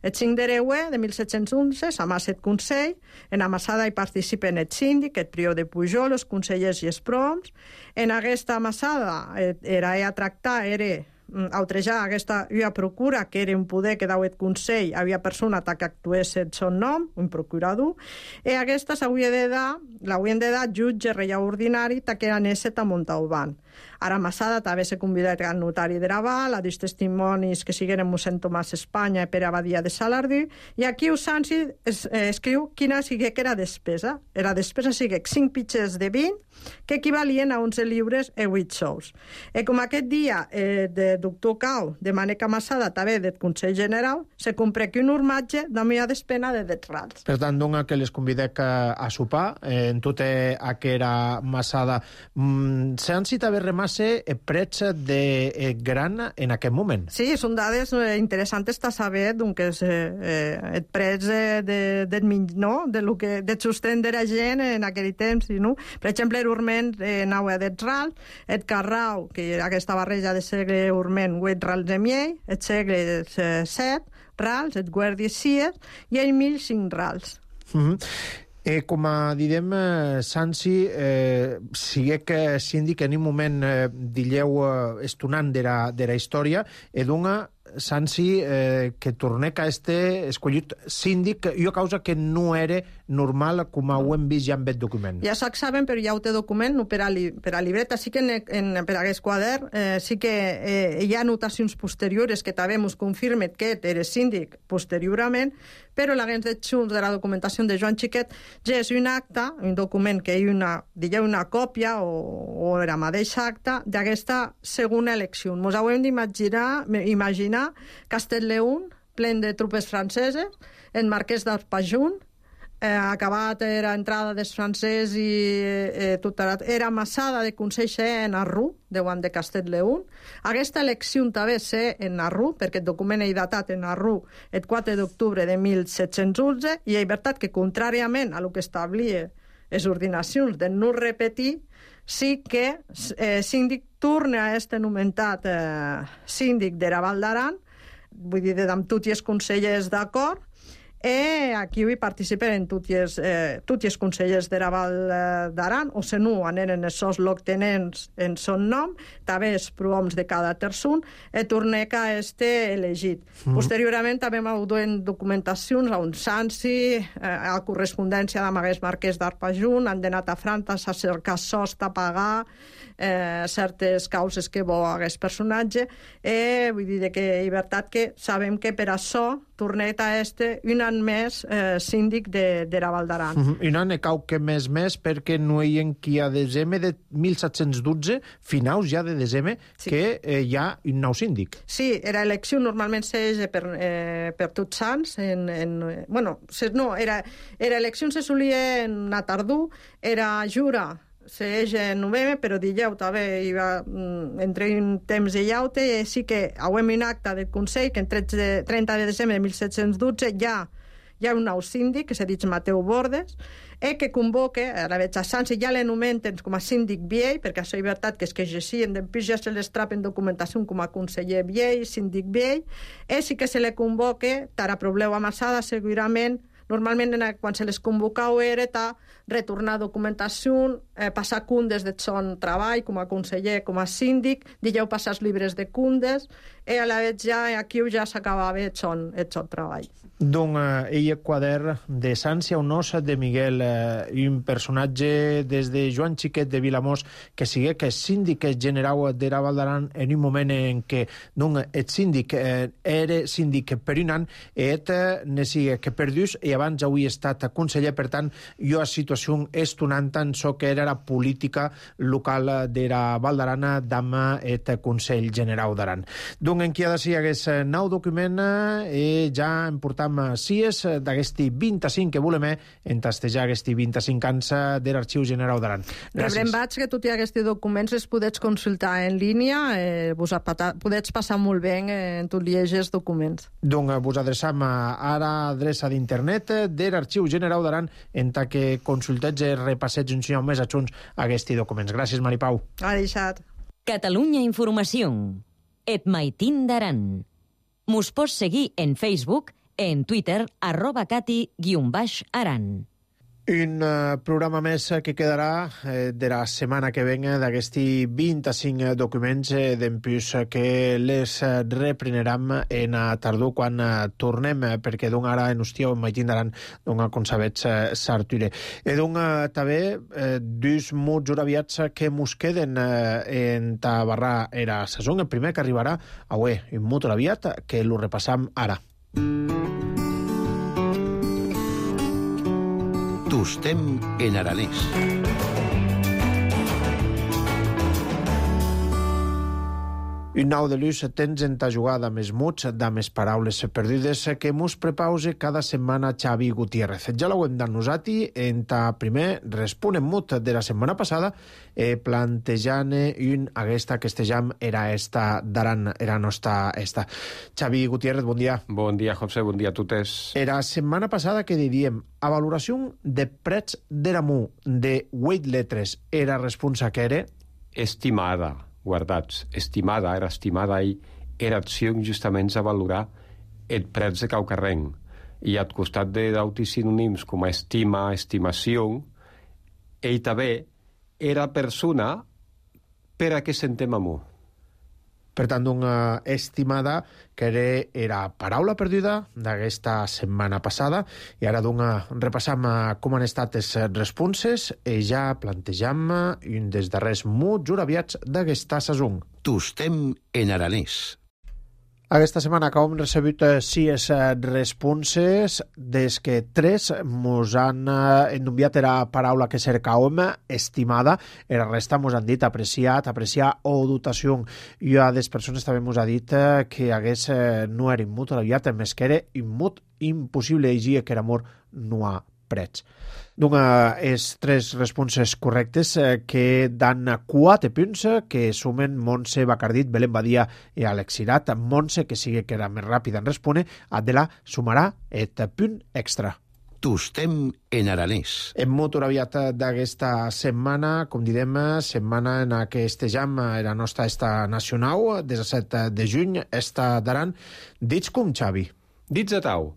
El cinc d'Hereue de mil set-cents onze s'amassa el Consell, en amassada hi participen el síndic, el prior de Pujol, els consellers i els proms. En aquesta amassada era a tractar, era autrejar aquesta una procura, que era un poder que dau el Consell, havia persona que actués el seu nom, un procurador, i aquesta s'hauria de dar, l'haurien de dar jutge reial ordinari, que era Nesset a Montauban. Ara Massada també s'ha convidat al notari de Raval, a dos testimonis que sigueren mossèn Tomàs Espanya i Pere Abadia de Salardú, i aquí Sansi es, eh, escriu quina sigui que era despesa. Era despesa sigui cinc pitxers de vint, que equivalien a onze lliures i vuit sous. I com aquest dia eh, de doctor Cau, de Màneca Massada, també del Consell General, se compra aquí un urmatge de una despena de dets rals. Per tant, dona que les convidec a, a sopar, eh, en tota aquera Massada. Mm, Sansi també remassa prets de eh, gran en aquest moment. Sí, són dades eh, interessants de saber que és eh, el prets eh, de, de, no? de lo que de sostén de la gent en aquell temps. No? Per exemple, l'urment eh, nau a dets rals, el carrau, que era aquesta barreja de segle urment, vuit rals de miei, el segle eh, set rals, el guàrdia sies, i el mil cinc rals. Mm-hmm. Eh, com a didem, eh, Sansi, eh, sigue que síndic en un moment, eh, dilleu, eh, estonant de la, de la història, e dona Sansi eh, que tornec a este escollit síndic, i a causa que no era normal, com ho hem vist ja en aquest document. Ja sac saben, però ja ho té document, no per a, li, per a libreta. Sí que en, en, per a aquest quadern eh, sí que eh, hi ha anotacions posteriores que també ens confirmen que era síndic posteriorment, però l'agent de Junts de la documentació de Joan Xiquet ja és un acte, un document que hi ha una, una còpia o, o era mateixa acta d'aquesta segona elecció. Ens ho hem d'imaginar imaginar caminar, Castell-Leún, plen de tropes franceses, el marquès d'Arpajun, eh, acabat era entrada dels francès i eh, tot era, era massada de Consell en Arru, deuen de Castell-Leún. Aquesta elecció també sé en Arru, perquè el document és datat en Arru el quatre d'octubre de mil set-cents onze, i és veritat que, contràriament a lo que establia les ordinacions de no repetir, sí que eh, síndic torna a este nomentat eh, síndic d'Era Val d'Aran, vull dir, amb tots els consellers d'acord, i aquí hi participen tots els, eh, tots els consellers d'Era Val d'Aran, o se no, aneren els seus loctenents en son nom, també els prohoms de cada terçun, i torneca a este elegit. Mm. Posteriorment també m'ho duen documentacions a un Sansi, eh, a correspondència d'Amagués Marquès d'Arpajun, han anat a França a cercar sost a pagar, eh, certes causes que bo hagués personatge, i vull dir que és veritat que sabem que per això tornet a este un any més eh, síndic d'Era Val d'Aran. Uh -huh. Un any cau que més més perquè no hi ha qui a desembre de mil set-cents dotze, finaus ja de desembre, sí. que eh, hi ha un nou síndic. Sí, era elecció normalment s'eix per, eh, per tots sants. En, en, bueno, se, no, era, era elecció se solia en una tardor, era jura s'eix en novembre, però dijous també hi va, entre un temps de llaute, i sí que hauem un acte del Consell que en trenta de desembre de mil set-cents dotze ja hi ha un nou síndic, que s'ha dit Mateu Bordes, i que convoca, a la veig a Sansi, ja l'anomenten com a síndic viell, perquè això és veritat que és que exercien, després ja se les trapen documentació com a conseller viell, síndic viell, i sí que se le convoca, tara problema amassada, segurament, normalment quan se les convocau era ta retornar documentació, eh, passar cundes de son treball com a conseller, com a síndic, dijeu passar els llibres de cundes, i a la vegada ja aquí ja s'acabava el son, el son treball. Doncs eh, ell quadern de Sància Onós de Miguel, eh, un personatge des de Joan Xiquet de Vilamós, que sigue que és síndic general d'Era Val d'Aran en un moment en què doncs, el síndic eh, era síndic per un any, i et ne sigue que per dos, i abans avui he estat conseller, per tant, jo a situació estonant tant so que era la política local d'Era Val d'Aran d'ama et Consell General d'Aran. Doncs en qui ha de ser aquest nou document, i ja em portam sies d'aquesti vint-i-cinc que volem entastejar aquests vint-i-cinc anys de l'Arxiu General d'Aran. Rebrem vaig que tots aquests documents els podets consultar en línia, eh, vos podets passar molt bé en tots els documents. Doncs vos adreçam a l'adreça d'internet de l'Arxiu General d'Aran en ta que consultets i repassets un sinó més adjunts a aquests documents. Gràcies, Maripau. Ha deixat. Catalunya Informació. Et maitín d'Aran. Mos pots seguir en Facebook, en Twitter, arroba cati guion baix aran. Un uh, programa més que quedarà eh, de la setmana que venga d'aquests vint-i-cinc documents eh, d'empús que les eh, repreneram en a tardor quan eh, tornem, eh, perquè doncs ara en hòstia en maitín d'Aran doncs com sabets eh, s'arture. I doncs eh, també eh, dos mots horaviats que mos queden eh, en ta barra era sason. El primer que arribarà avui, un mot horaviat que lo repassam ara. Tostem en aranès. Un nou de luz tens en ta jugada més mots, de més paraules perdudes que mos prepause cada setmana Xavi Gutiérrez. Ja l'ho hem d'annosati en ta primer responem mot de la setmana passada eh, plantejant un aquesta que estejam era esta d'Aran, era nostra esta. Xavi Gutiérrez, bon dia. Bon dia, José, bon dia a totes. Era setmana passada que diríem a valoració de prets d'Eramu de vuit letres era responsa que era? Estimada. Guardats, estimada, era estimada i era acció justament a valorar el prets de caucarrenc. I al costat de d'autis sinònims com a estima, estimació, ell també era persona per a què sentem amor. Per tant, una estimada que era, era paraula perduda d'aquesta setmana passada i ara doncs, repassam com han estat les responses i ja plantejam un dels darrers mots horaviats d'aquesta sason. Tostem en aranès. Aquesta setmana acabem recebut sis responses, des que tres mos han enviat la paraula que cercàvem, estimada, la resta mos han dit apreciat, apreciar o dotació. I a des persones també mos ha dit que hagués no era immut, aviat més que era immut, impossible llegir que l'amor no ha prets. Doncs és tres responses correctes que dan quatre punts que sumen Montse Bacardit, Belén Badia i Àlex Cirat. Montse, que sigui que era més ràpida en respondre, Adela sumarà et punt extra. Tostem en aranès. En motor aviat d'aquesta setmana, com direm, setmana en què estejam la nostra esta nacional, disset de juny, esta d'Aran. Dits com, Xavi? Dits a tau.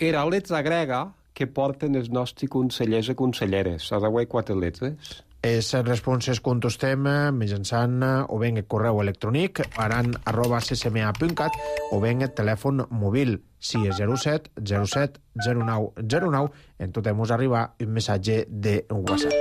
Era letra grega que porten els nostres consellers i conselleres. Has de quatre lletres? Les responses contestem mitjançant o bé el correu electrònic aran arroba c c m a punt cat o bé el telèfon mòbil sis zero set zero set zero nou zero nou. En tot mos arriba un missatge de WhatsApp.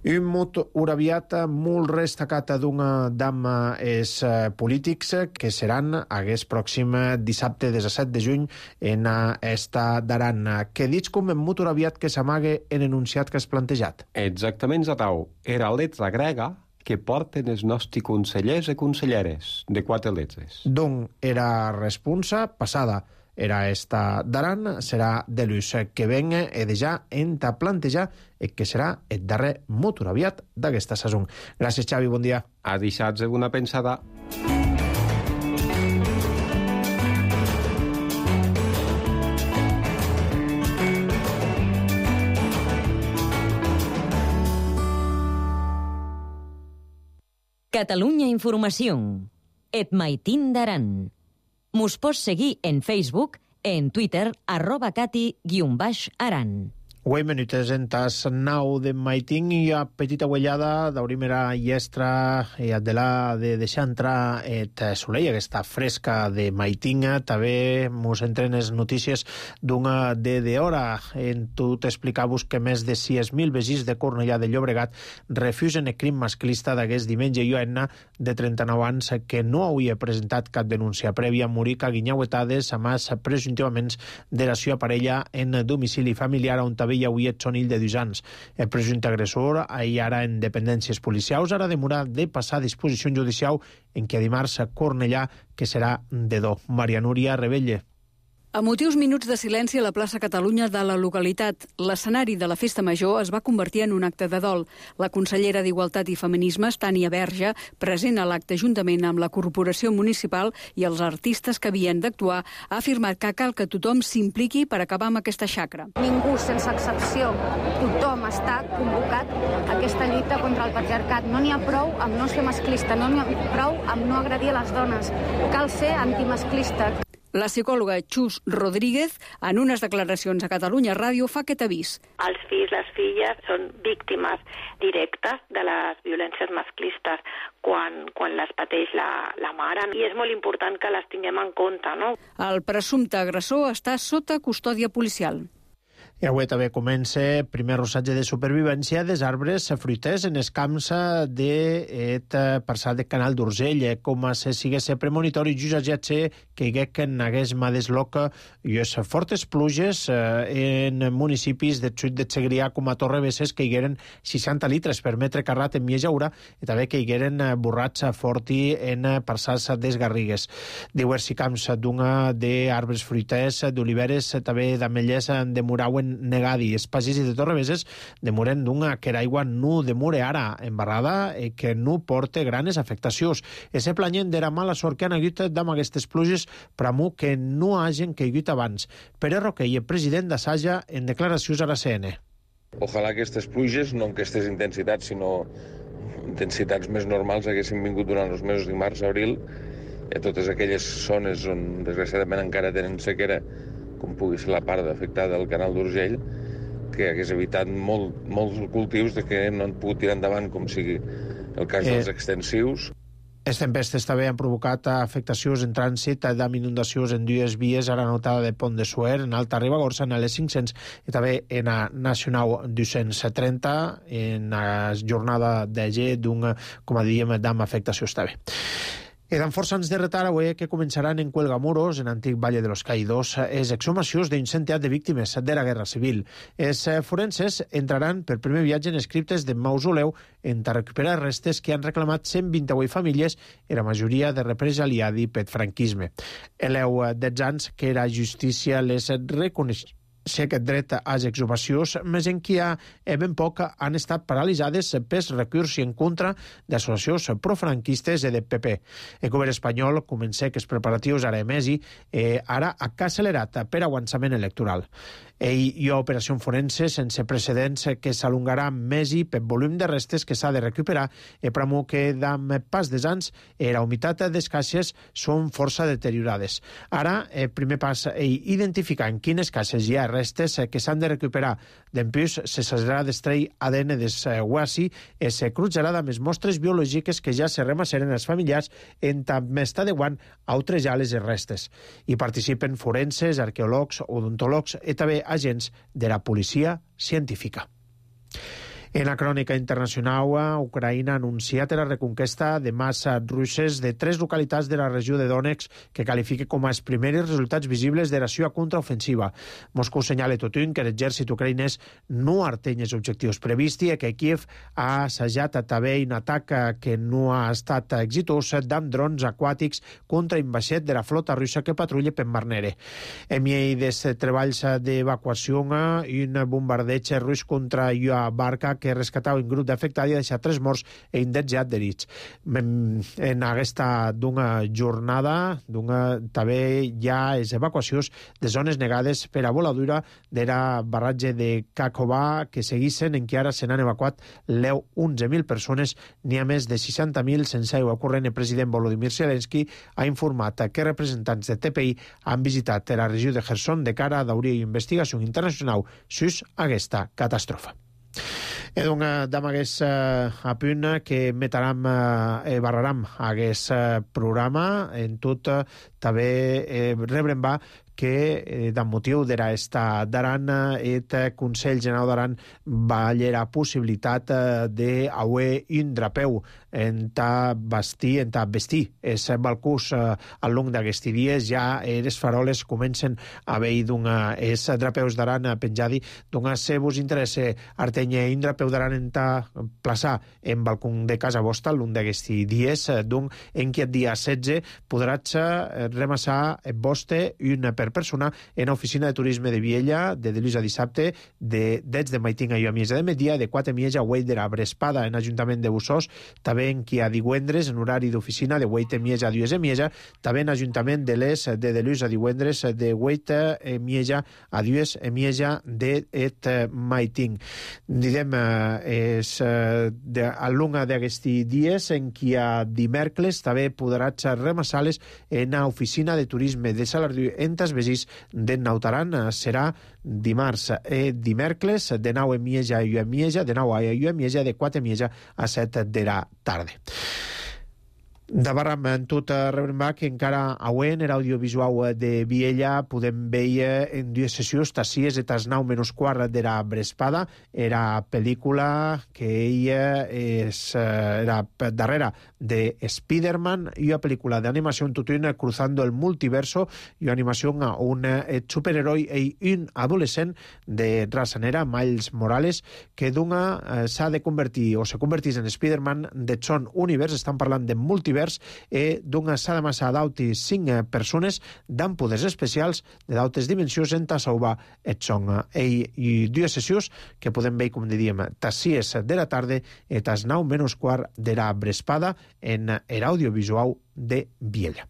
Un mot uraviat molt destacat d'una dama és polítics que seran aquest pròxim dissabte disset de juny en esta d'Aran. Que dits com en mot uraviat que s'amague en enunciat que has plantejat? Exactament, Zatau. Era letra grega que porten els nostres consellers i conselleres, de quatre lletres. Doncs era responsa passada. Era esta d'Aran, serà de l'ús que venga e de ja enta plantejar el que serà el darrer motor aviat d'aquesta sason. Gràcies, Xavi, bon dia. A deixar-se una pensada. Catalunya Informació. Et maitin d'Aran. Mos pots seguir en Facebook, en Twitter, arroba cati guion baix aran. Uei, minutes en tas nau de maiting i a petita huellada d'aurimera iestra i Adela de deixar entrar et soleil, aquesta fresca de maiting. També mos entren les notícies d'una de d'hora. En tu t'explicavos que més de sis mil veïns de Cornellà de Llobregat refusen el crim masclista d'aquest diumenge i una de trenta-nou anys que no hauria presentat cap denúncia prèvia morir caguinyauetades a més presumptivament de la seva parella en domicili familiar on també hi havia Tsonill de dos anys. El presumpte agressor, ahir ara en dependències policials, ara demora de passar a disposició judicial en què dimarts a Cornellà, que serà de do. Maria Núria Rebelle. A motius minuts de silenci a la plaça Catalunya de la localitat, l'escenari de la festa major es va convertir en un acte de dol. La consellera d'Igualtat i Feminismes, Tània Verge, present a l'acte juntament amb la Corporació Municipal i els artistes que havien d'actuar, ha afirmat que cal que tothom s'impliqui per acabar amb aquesta xacra. Ningú, sense excepció, tothom està convocat a aquesta lluita contra el patriarcat. No n'hi ha prou amb no ser masclista, no n'hi ha prou amb no agredir a les dones. Cal ser antimasclista. La psicòloga Xus Rodríguez, en unes declaracions a Catalunya Ràdio, fa aquest avís. Els fills, les filles, són víctimes directes de les violències masclistes quan, quan les pateix la, la mare. I és molt important que les tinguem en compte, no? El presumpte agressor està sota custòdia policial. I avui també comença el primer rossatge de supervivència dels arbres fruiters en els camps d'aquest parçal de Canal d'Urgell. Com si sigués premonitori, just ja sé que hi hagués mà desloca i les fortes pluges en municipis de Sud de Segrià com a Torrebesses que hi hagueren seixanta litres per metre carrat en Miejaura i també que hi hagueren borrats forti en parçals des Garrigues. Diversos camps d'una d'arbres fruiters, d'oliveres, també d'ametllers de Murauen negadi. Els pagès de Torrebesses demoren d'una que l'aigua no demore ara embarrada i que no porta granes afectacions. Ese planyen d'era mala sort que han hagut d'amb aquestes pluges per amor que no hagin caigut abans. Pere Roquell, president d'Assaja, en declaracions a la C N. Ojalà aquestes pluges, no en aquestes intensitats, sinó intensitats més normals, haguessin vingut durant els mesos de març, abril, a totes aquelles zones on desgraciadament encara tenen sequera, com pugui ser la part afectada del Canal d'Urgell, que hagués evitat molt, molts cultius de que no han pogut tirar endavant, com sigui el cas dels eh, extensius. Les tempestes també han provocat afectacions en trànsit amb inundacions en dues vies a la notada de Pont de Suer, en Alta Ribagorça, en l'E cinc-cents i també en la Nacional dos-cents trenta, en la jornada de G, d'un, com a diem, d'amb afectacions també. E dan força anys de retard avui que començaran en Cuelgamuros, en antic Valle de los Caídos, les exhumacions d'un centenar de víctimes de la Guerra Civil. Els forenses entraran per primer viatge en les criptes de Mausoleu en recuperar restes que han reclamat cent vint-i-vuit famílies, i la majoria de represaliadi pel franquisme. Eleu dotze anys que la justícia les reconeix si aquest dret a les exhumacions, més en qui ha ben poc han estat paralitzades pels recurs en contra d'associacions profranquistes i de P P. El govern espanyol comença que els preparatius ara emesi eh, ara ha accelerat per avançament electoral. Ell hi ha operació forense sense precedents que s'alongarà més i per volum de restes que s'ha de recuperar i pramo que d'am pas dels anys la humitat des caixes són força deteriorades. Ara, el primer pas és identificar en quines caixes hi ha restes que s'han de recuperar. D'empús, se s'haurà d'extreir A D N des huasi i se crutjarà amb les mostres biològiques que ja se remasseren els familiars en també està adequant a outrejar les restes. Hi participen forenses, arqueòlegs, odontòlegs i també agents de la policia científica. En la crònica internacional, Ucraïna ha anunciat la reconquesta de masses russes de tres localitats de la regió de Donetsk que qualifica com els primers resultats visibles de la seva contraofensiva. Moscou senyala tothom que l'exèrcit ucraïnès no arteny els objectius prevists i que Kiev ha assajat també un atac que no ha estat exitós d'amb drons aquàtics contra un vaixell de la flota russa que patrulla per Mar Negre. En mi dels treballs d'evacuació, un bombardeig rus contra una barca que rescatava un grup d'afectats i ha deixat tres morts i un dotze adherits. En aquesta d'una jornada d'una, també hi ha les evacuacions de zones negades per a voladura de la barratge de Kakhovka que seguissin en què ara se n'han evacuat l'eu onze mil persones, n'hi ha més de seixanta mil sense aigua corrent. El president Volodymyr Zelensky ha informat que representants de T P I han visitat la regió de Kherson de cara a d'obrir investigació internacional sus aquesta catàstrofe. E donc, damb aguest uh, apunt que metaram e uh, barraram aguest uh, programa, en tot uh, també eh, rebrem va que, eh, d'un motiu d'era esta d'Aran, et Consell General d'Aran va llera possibilitat eh, d'auer un drapeu en ta vestir, en ta vestir es balcús eh, al long d'aquests dies. Ja les faroles comencen a veure d'una es drapeus d'Aran penjadi, d'una se vos interessa artenye un drapeu d'Aran en ta plaça en balcón de casa vostra al long d'aquests dies, d'un en qui el dia setze podràs remassar vostre una per persona en l'oficina de turisme de Viella de dilluns a dissabte de dets de Maitinga i a Miesa de Media de quatre Miesa a Hueit de la Brespada en Ajuntament de Bussós, també en qui a divendres en horari d'oficina de Hueit de Miesa a Dues de Miesa, també en Ajuntament de l'Es de dilluns a divendres de Hueit de Miesa a Dues de Miesa de et Maiting. Didem és de, al long d'aquests dies en qui a dimèrcles també podràs remassar-les en l'oficina de turisme de Salardiu en Tasbesís de Nautaran. Serà dimarts i dimèrcles de nou a Mieja i a Mieja, de nou a Mieja, de quatre a Mieja a set de la tarda. De barram en tot rebrem que encara avui en l'audiovisual de Viella podem veure en dues sessions tassies de tas nou menys quart de la Brespada, era pel·lícula que ella és, era darrere de Spider-Man i una pel·lícula d'animació en tot un cruzando el multiverso i una animació a un superheroi i un adolescent de raça negra, Miles Morales, que d'una s'ha de convertir o se convertís en Spider-Man de son univers. Estan parlant de multivers i d'una s'ha de massar d'autis cinc persones d'amb poders especials de d'autes dimensions en ta salvar et son. I, i dues sessions que podem veure, com diríem, tas sis de la tarda i tas nou menys quart de la Brespada en l'audiovisual de Viella.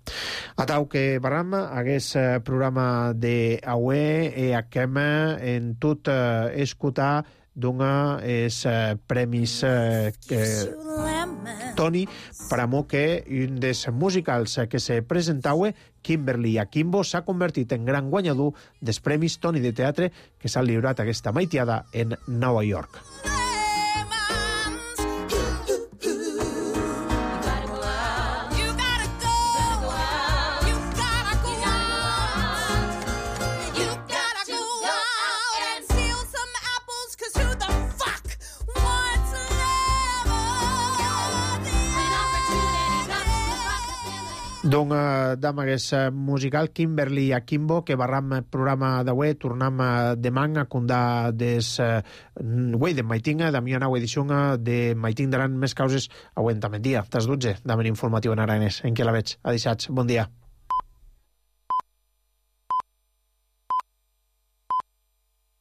Atau que barram hagués programa d'avui i aquem en tot eh, escoltar d'una és eh, premis eh, eh, Toni per amor que un dels musicals que se presentava, Kimberly Akimbo, s'ha convertit en gran guanyador dels premis Toni de teatre que s'han lliurat aquesta maitiada en Nova York. D'un d'amagues musical Kimberly Akimbo, que barram programa d'avui, tornam demà a condar des uei de maitinga, da mia nau edició de maiting daran més causes auentamentia, tas dotze, d'amen informatiu en aranès, en què la veig. Adixats, bon dia.